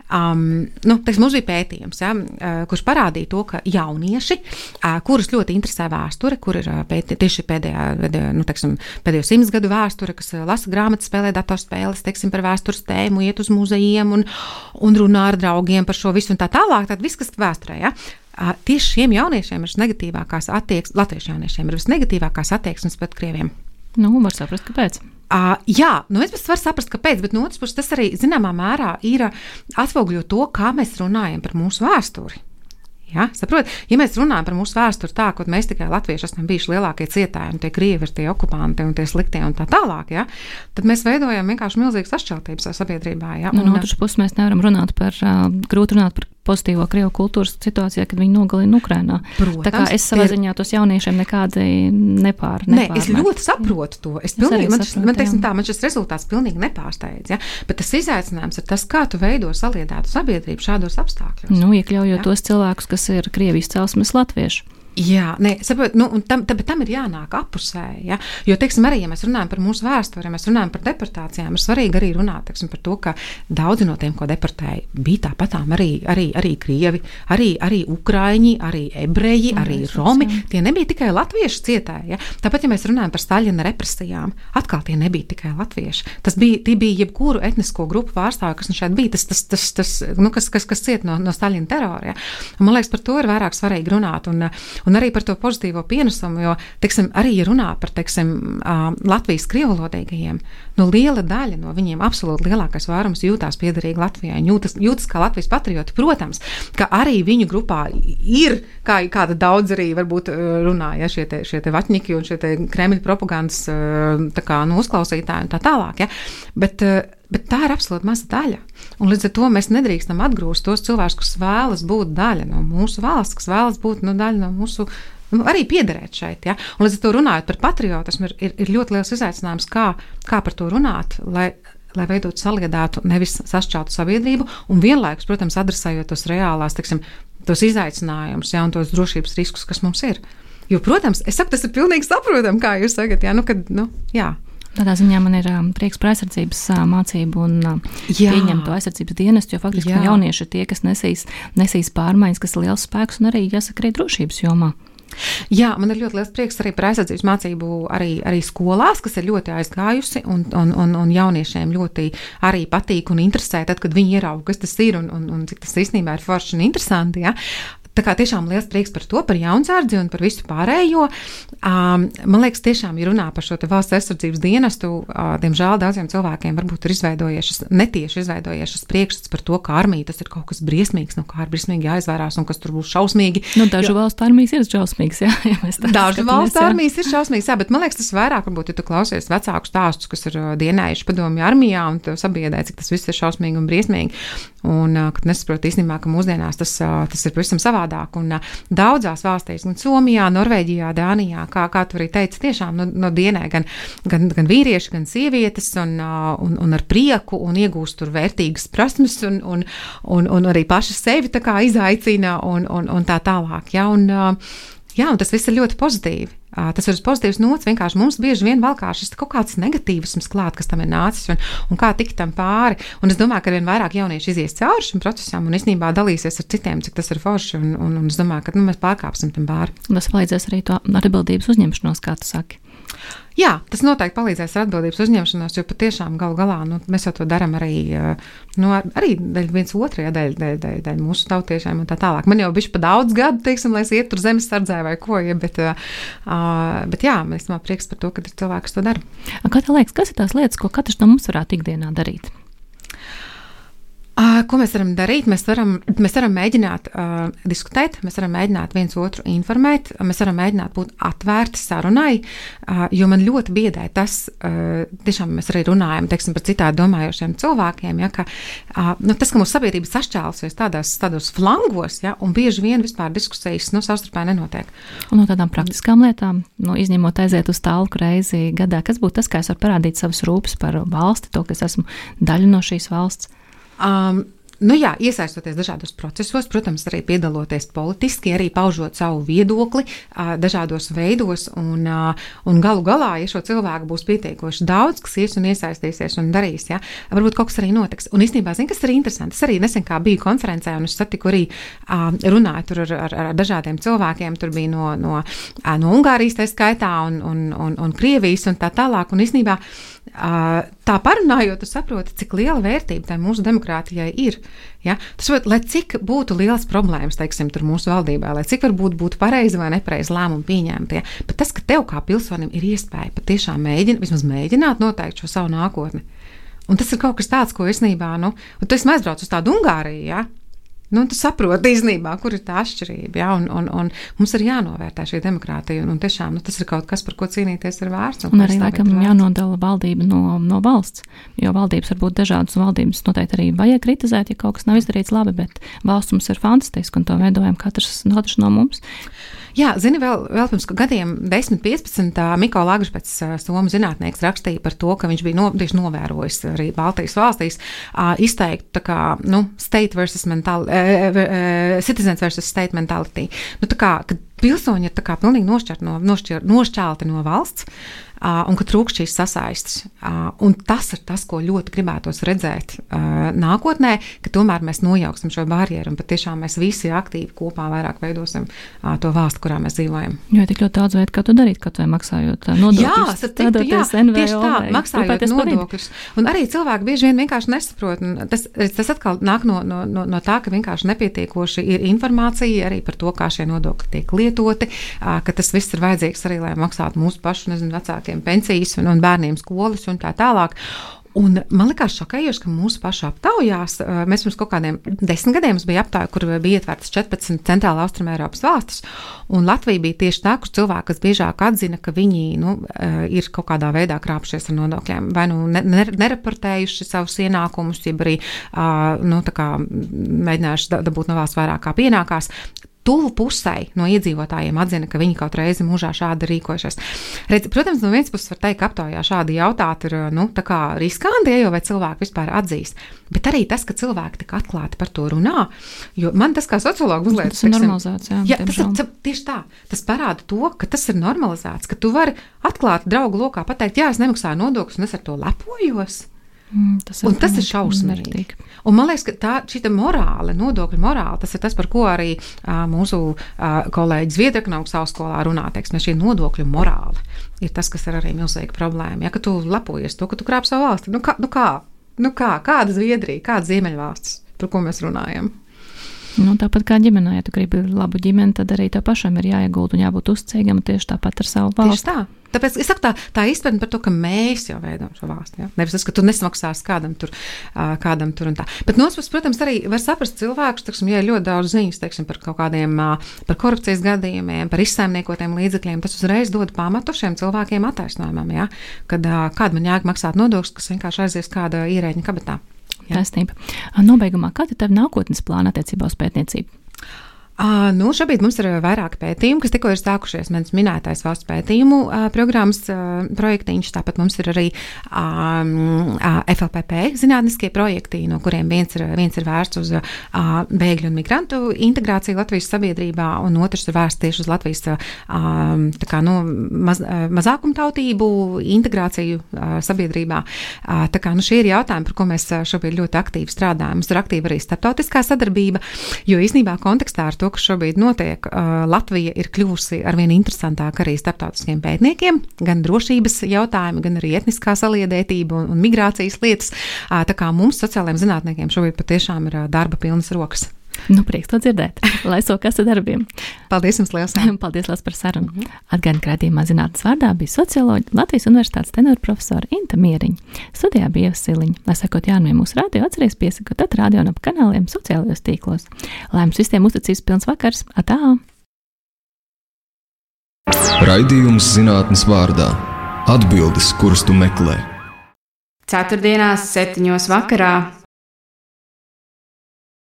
um, nu, teiks, mums bija pētījums, ja, uh, kurš parādīja to, ka jaunieši, uh, kurus ļoti interesē vēsture, kur ir uh, pēti, tieši pēdējā, nu, teiksim, pēdējo simts gadu vēsture, kas uh, lasa grāmatas, spēlē datorspēles, teiksim, par vēstures tēmu, iet uz muzejiem un, un runā ar draugiem par šo visu un tā tālāk, tad viss, kas vēsturē, ja. Uh, tieši šiem jauniešiem ir visnegatīvākās attieksmes, latviešu jauniešiem ir visnegatīvākās attieksmes pret krieviem. Nu, var saprast, kāpēc. Uh, jā, nu es varu saprast, kāpēc, bet no otras puses tas arī zināmā mērā ir atspoguļo to, kā mēs runājam par mūsu vēsturi. Ja, saprot, ja mēs runājam par mūsu vēsturi tā, ka mēs tikai latvieši esam bijuši lielākie cietēji, un tie krievi ir tie okupanti un tie sliktie un tā tālāk, ja, tad mēs veidojam vienkārši milzīgas sašķeltības sabiedrībā. Ja, nu, no otras puses mēs nevaram runāt par, uh, grūti runāt par pozitīvo krievu kultūras situācijā, kad viņi nogalina Ukrainā. Protams, tā kā es savā ziņā tos jauniešiem nekādi nepār, nepārmēt. Nē, es ļoti saprotu to. Es pilnīgi, es man, saprotu, man, teiksim, tā, man šis rezultāts pilnīgi nepārsteidz. Ja? Bet tas izaicinājums ir tas, kā tu veido saliedētu sabiedrību šādos apstākļos. Nu, iekļaujot ja? tos cilvēkus, kas ir Krievijas celsmes latvieši. Jā, nē, saprot, nu, un tam, tam, tam ir jānāk apusē, ja? Jo, teiksim, arī, ja mēs runājam par mūsu vēsturi, ja mēs runājam par deportācijām, ir svarīgi arī runāt, teiksim, par to, ka daudzi no tiem, ko deportēja, bija tāpatām arī, arī, arī krievi, arī, arī ukraiņi, arī ebreji, arī romi, tie nebija tikai latvieši cietēji, ja? Tāpat, ja mēs runājam par Staļina represijām, atkal tie nebija tikai latvieši, tas bija, tie bija jebkuru etnisko grupu pārstāvju, kas nu šeit bija, tas, tas, tas, tas nu, kas, kas, kas ciet no, no Staļina terora, ja? Un, man liekas, par to ir vairāk svarīgi runāt, un Un arī par to pozitīvo pienesumu, jo, teiksim, arī, ja runā par, teiksim, Latvijas krievvalodīgajiem, nu, liela daļa no viņiem, absolūti lielākais vairums jūtās piederīgi Latvijai, jūtas, jūtas kā Latvijas patrioti, protams, ka arī viņu grupā ir, kā kāda daudz arī varbūt runā, ja, šie te, šie te vaķņiki un šie te Kremļa propagandas, tā kā, nu, uzklausītāji un tā tālāk, ja, bet, Bet tā ir absolūti maza daļa. Un līdz ar to mēs nedrīkstam atgrūst tos cilvēkus, kas vēlas būt daļa no mūsu valsts, kas vēlas būt no daļa no mūsu, nu, arī piederēt šeit. Ja? Un līdz ar to runājot par patriotismu, ir, ir, ir ļoti liels izaicinājums, kā, kā par to runāt, lai, lai veidot saliedētu, nevis sašķeltu sabiedrību, un vienlaikus, protams, adresējot tos reālās, teiksim, tos izaicinājumus, ja, un tos drošības riskus, kas mums ir. Jo, protams, es saku, tas ir pilnīgi saprotam, kā jūs sakat, ja? Nu, kad, nu, jā. Tādā ziņā man ir um, prieks par aizsardzības uh, mācību un uh, pieņemt to aizsardzības dienestu, jo faktiski jaunieši ir tie, kas nesīs, nesīs pārmaiņas, kas ir liels spēks un arī, jāsaka, arī drošības jomā. Jā, man ir ļoti liels prieks arī par aizsardzības mācību arī, arī skolās, kas ir ļoti aizgājusi un, un, un, un jauniešiem ļoti arī patīk un interesē, tad, kad viņi ierauga, kas tas ir un, un, un cik tas īstenībā ir forši un interesanti. Ja? tā kā tiešām liels prieks par to, par jaunsardzi un par visu pārējo. Um, man liekas, tiešām, ja runā par šo te valsts aizsardzības dienestu, uh, diemžēl daudziem cilvēkiem varbūt ir izveidojiešas, netieši izveidojiešas priekšstats par to, ka armija tas ir kaut kas briesmīgs, no kā ir briesmīgi jāizvairās un kas tur būs šausmīgi. Nu, dažu jo, valstu armijas ir šausmīgas, jā. Ja dažu valstu armijas ir šausmīgas, jā, bet man liekas, tas vairāk, varbūt, ja tu klausies vecāku stāstus, kas ir dienējuši padomju armijā un tev sabiedē, cik tas viss ir šausmīgi un briesmīgi. Un, kad nesaprot īstenībā, ka mūsdienās tas, tas ir pavisam savādāk. Un daudzās valstīs, gan Somijā, Norvēģijā, Dānijā, kā, kā tu arī teici, tiešām no, no dienē gan, gan, gan vīrieši, gan sievietes un, un, un ar prieku un iegūst tur vērtīgas prasmes un, un, un, un arī paši sevi tā kā izaicina un, un, un tā tālāk. Ja? Un, jā, un tas viss ir ļoti pozitīvi. Tas ir pozitīvs nots, vienkārši mums bieži vien valkā šis kaut kāds negatīvisms klāt, kas tam ir nācis un, un kā tikt tam pāri. Un es domāju, ka vien vairāk jaunieši izies cauri šim procesam un īstenībā dalīsies ar citiem, cik tas ir forši un, un, un es domāju, ka nu, mēs pārkāpsim tam pāri. Un tas palīdzēs arī to atbildības uzņemšanos, kā tu saki. Jā, tas noteikti palīdzēs ar atbildības uzņemšanos, jo patiešām galu galā nu, mēs jau to darām arī, nu, arī viens otru, ja, dēļ, dēļ, dēļ, dēļ mūsu tautiešiem un tā tālāk. Man jau bišķi pa daudz gadu, teiksim, lai es iet tur zemes sardzē vai ko, ja, bet, uh, bet jā, man īstenībā prieks par to, ka ir cilvēki, kas to dara. Kā tev liekas, kas ir tās lietas, ko katrs no mums varētu ikdienā darīt? Uh, ko mēs varam darīt? Mēs varam, mēs varam mēģināt uh, diskutēt, mēs varam mēģināt viens otru informēt, mēs varam mēģināt būt atvērti sarunai, uh, jo man ļoti biedē tas, uh, tiešām mēs arī runājam, teiksim, par citādi domājošiem cilvēkiem, ja, ka uh, nu, tas, ka mūsu sabiedrība sašķēlusies tādās, tādos flangos, ja, un bieži vien vispār diskusijas, nu, savstarpēji nenotiek. Un no tādām praktiskām lietām, nu, izņemot aiziet uz tālku reizi gadā, kas būtu tas, kā es varu parādīt savas rūpes par valsti, to, ka es esmu daļa no šīs valsts? Um, nu jā, iesaistoties dažādos procesos, protams, arī piedaloties politiski, arī paužot savu viedokli uh, dažādos veidos, un, uh, un galu galā, ja šo cilvēku būs pietiekoši daudz, kas ies un iesaistīsies un darīs, ja, varbūt kaut kas arī notiks. Un īstenībā, zin, kas ir interesanti, es arī nesen kā biju konferencē, un es satiku arī uh, runāju tur ar, ar, ar dažādiem cilvēkiem, tur bija no, no, uh, no Ungārijas tā skaitā un, un, un, un Krievijas un tā tālāk, un īstenībā Uh, tā parunājot, tu saproti, cik liela vērtība tai mūsu demokrātijai ir. Ja? Tas, lai cik būtu liels problēmas, teiksim, tur mūsu valdībā, lai cik varbūt būtu pareizi vai nepareizi lēmumi pieņemtie, bet tas, ka tev kā pilsonim ir iespēja patiešām mēģināt, vismaz mēģināt noteikt šo savu nākotni. Un tas ir kaut kas tāds, ko īstenībā, nu, un tu esi aizbrauc uz tādu Ungāriju, ja? Nu, tu saproti īstenībā, kur ir tā atšķirība, ja? un, un, un mums ir jānovērtē šī demokrātija, un, un tiešām nu, tas ir kaut kas, par ko cīnīties ir vērts. Un, un arī, laikam, jānodala valdība no, no valsts, jo valdības var būt dažādas, un valdības noteikti arī vajag kritizēt, ja kaut kas nav izdarīts labi, bet valsts mums ir fantastiska, un to veidojam katrs, katrs no mums. Jā, zini, vēl, vēl pirms gadiem desmit, piecpadsmit Miko Lagžpets, somu zinātnieks, rakstīja par to, ka viņš bija no, tieši novērojis arī Baltijas valstīs uh, izteikt tā kā, nu, state versus mental, uh, uh, citizens versus state mentality. Nu, tā kā, kad pilsoņi ir tā kā pilnīgi nošķirti no, nošķir, nošķelti no valsts, uh, un ka trūkst šīs sasaistes. Uh, un tas ir tas, ko ļoti gribētos redzēt uh, nākotnē, ka tomēr mēs nojauksim šo barjeru un patiešām mēs visi aktīvi kopā vairāk veidosim uh, to valsti, kurā mēs dzīvojam. Jo tik ļoti daudz veidu, kā to darīt, kaut vai maksājot nodokļus. Jā, satiktu, jā, tieši tā, maksājot nodokļus. Un arī cilvēki bieži vien vienkārši nesaprot. Tas, tas atkal nāk no, no, no, no tā, ka vienkārši nepietiekoši ir informācija arī par to, kā šie nodokļi tiek lietoti, uh, ka tas viss ir vajadzīgs arī, lai maksātu mūsu pašu, nezinu, vecākiem pensijas un, un bērniem skolas un tā tālāk. Un man likās šokējoši, ka mūsu pašu aptaujās, mēs pirms kaut kādiem desmit gadiem bija aptauja, kur bija ietvērtas četrpadsmit centrāla Austruma Eiropas valstis, un Latvija bija tieši tā, kur cilvēki, kas biežāk atzina, ka viņi, nu, ir kaut kādā veidā krāpšies ar nodokļiem, vai nu nereportējuši savus ienākumus, jeb arī, nu, tā kā mēģinājuši dabūt no valsts vairāk kā pienākās. Tuvu pusē no iedzīvotājiem atzina, ka viņi kaut reizi mūžā šādi rīkojušies. Redz, protams, no vienas puses var teikt, ka aptaujā šādi jautāt ir, nu, tā kā riskanti, jo vai cilvēki vispār atzīs. Bet arī tas, ka cilvēki tik atklāti par to runā, jo man tas kā sociologu uzliek. Tas ir normalizēts, jā. Jā, tas ir tieši tā. Tas parāda to, ka tas ir normalizēts, ka tu vari atklāti draugu lokā pateikt, jā, es nemaksāju nodokļus un es ar to lepojos. Mm, tas un tas ir šausmīgi. Un man liekas, ka tā šita morāle, nodokļu morāle, tas ir tas, par ko arī uh, mūsu uh, kolēģi Zviedrieku augstskolā runā, teiksim, šī nodokļu morāle ir tas, kas ir arī milzīga problēma. Ja, ka tu lepojies to, ka tu krāp savu valsti. Nu kā, nu kā, nu kā, kāda Zviedrija, kāda Ziemeļvalstis, par ko mēs runājam? Nu, tāpat kā ģimenē, ja tu gribi labu ģimeni, tad arī tev pašam ir jāiegulda un jābūt uzticīgam tieši tāpat ar savu valsti. Tieši tā. Tāpēc es saku tā, tā izpratne par to, ka mēs jau veidojam šo valsti. Ja? Nevis tas, ka tu nesmaksās kādam tur, kādam tur un tā. Bet no otras puses, protams, arī var saprast cilvēkus, teiksim, ja ir ļoti daudz ziņas, teiksim, par kaut kādiem, par korupcijas gadījumiem, par izsaimniekotiem līdzekļiem, tas uzreiz dod pamatu šiem cilvēkiem attaisnojumam, ja? Kad kāda man jāg maksāt nodokļus, kas vienkārši aizies kāda ierēģiņa kabatā. Ja? Taisnība. Nobeigumā, kāda ir tava nākotnes plāna attiecībā uz pētniecību? Uh, nu, šobrīd mums ir vairāki pētījumi, kas tikko ir sākušies. Mans minētais valsts pētījumu uh, programmas uh, projektiņš, tāpat mums ir arī um, uh, F L P P zinātniskie projekti, no kuriem viens ir, viens ir vērsts uz uh, bēgļu un migrantu integrāciju Latvijas sabiedrībā, un otrs ir vērsts tieši uz Latvijas uh, tā kā, nu, maz, uh, mazākumtautību integrāciju uh, sabiedrībā. Uh, tā kā, nu, šie ir jautājumi, par ko mēs šobrīd ļoti aktīvi strādājam. Mums ir aktīva arī starptautiskā sadarbība, jo īstenībā kontekstā ar to, kas šobrīd notiek, Latvija ir kļuvusi arvien interesantāka arī starptautiskiem pētniekiem, gan drošības jautājumi, gan arī etniskā saliedētība un, un migrācijas lietas. Tā kā mums, sociālajiem zinātniekiem, šobrīd patiešām ir darba pilnas rokas. Nu, prieks to dzirdēt. Lai sokas ar darbiem. Paldies jums liels. Paldies liels par sarunu. Mm -hmm. Atgādinu, ka raidījumā zinātnes vārdā bija socioloģija Latvijas Universitātes tenora profesora Inta Mieriņa. Studijā bija Ieva Siliņa. Lai sekot jaunumiem mūsu radio, atceries piesakot tad radio un ap kanāliem sociālajos tīklos. Lai mums visiem uzticības pilns vakars. Atā! Raidījums zinātnes vārdā. Atbildes, kuras tu meklē. Ceturtdienās septiņos vakarā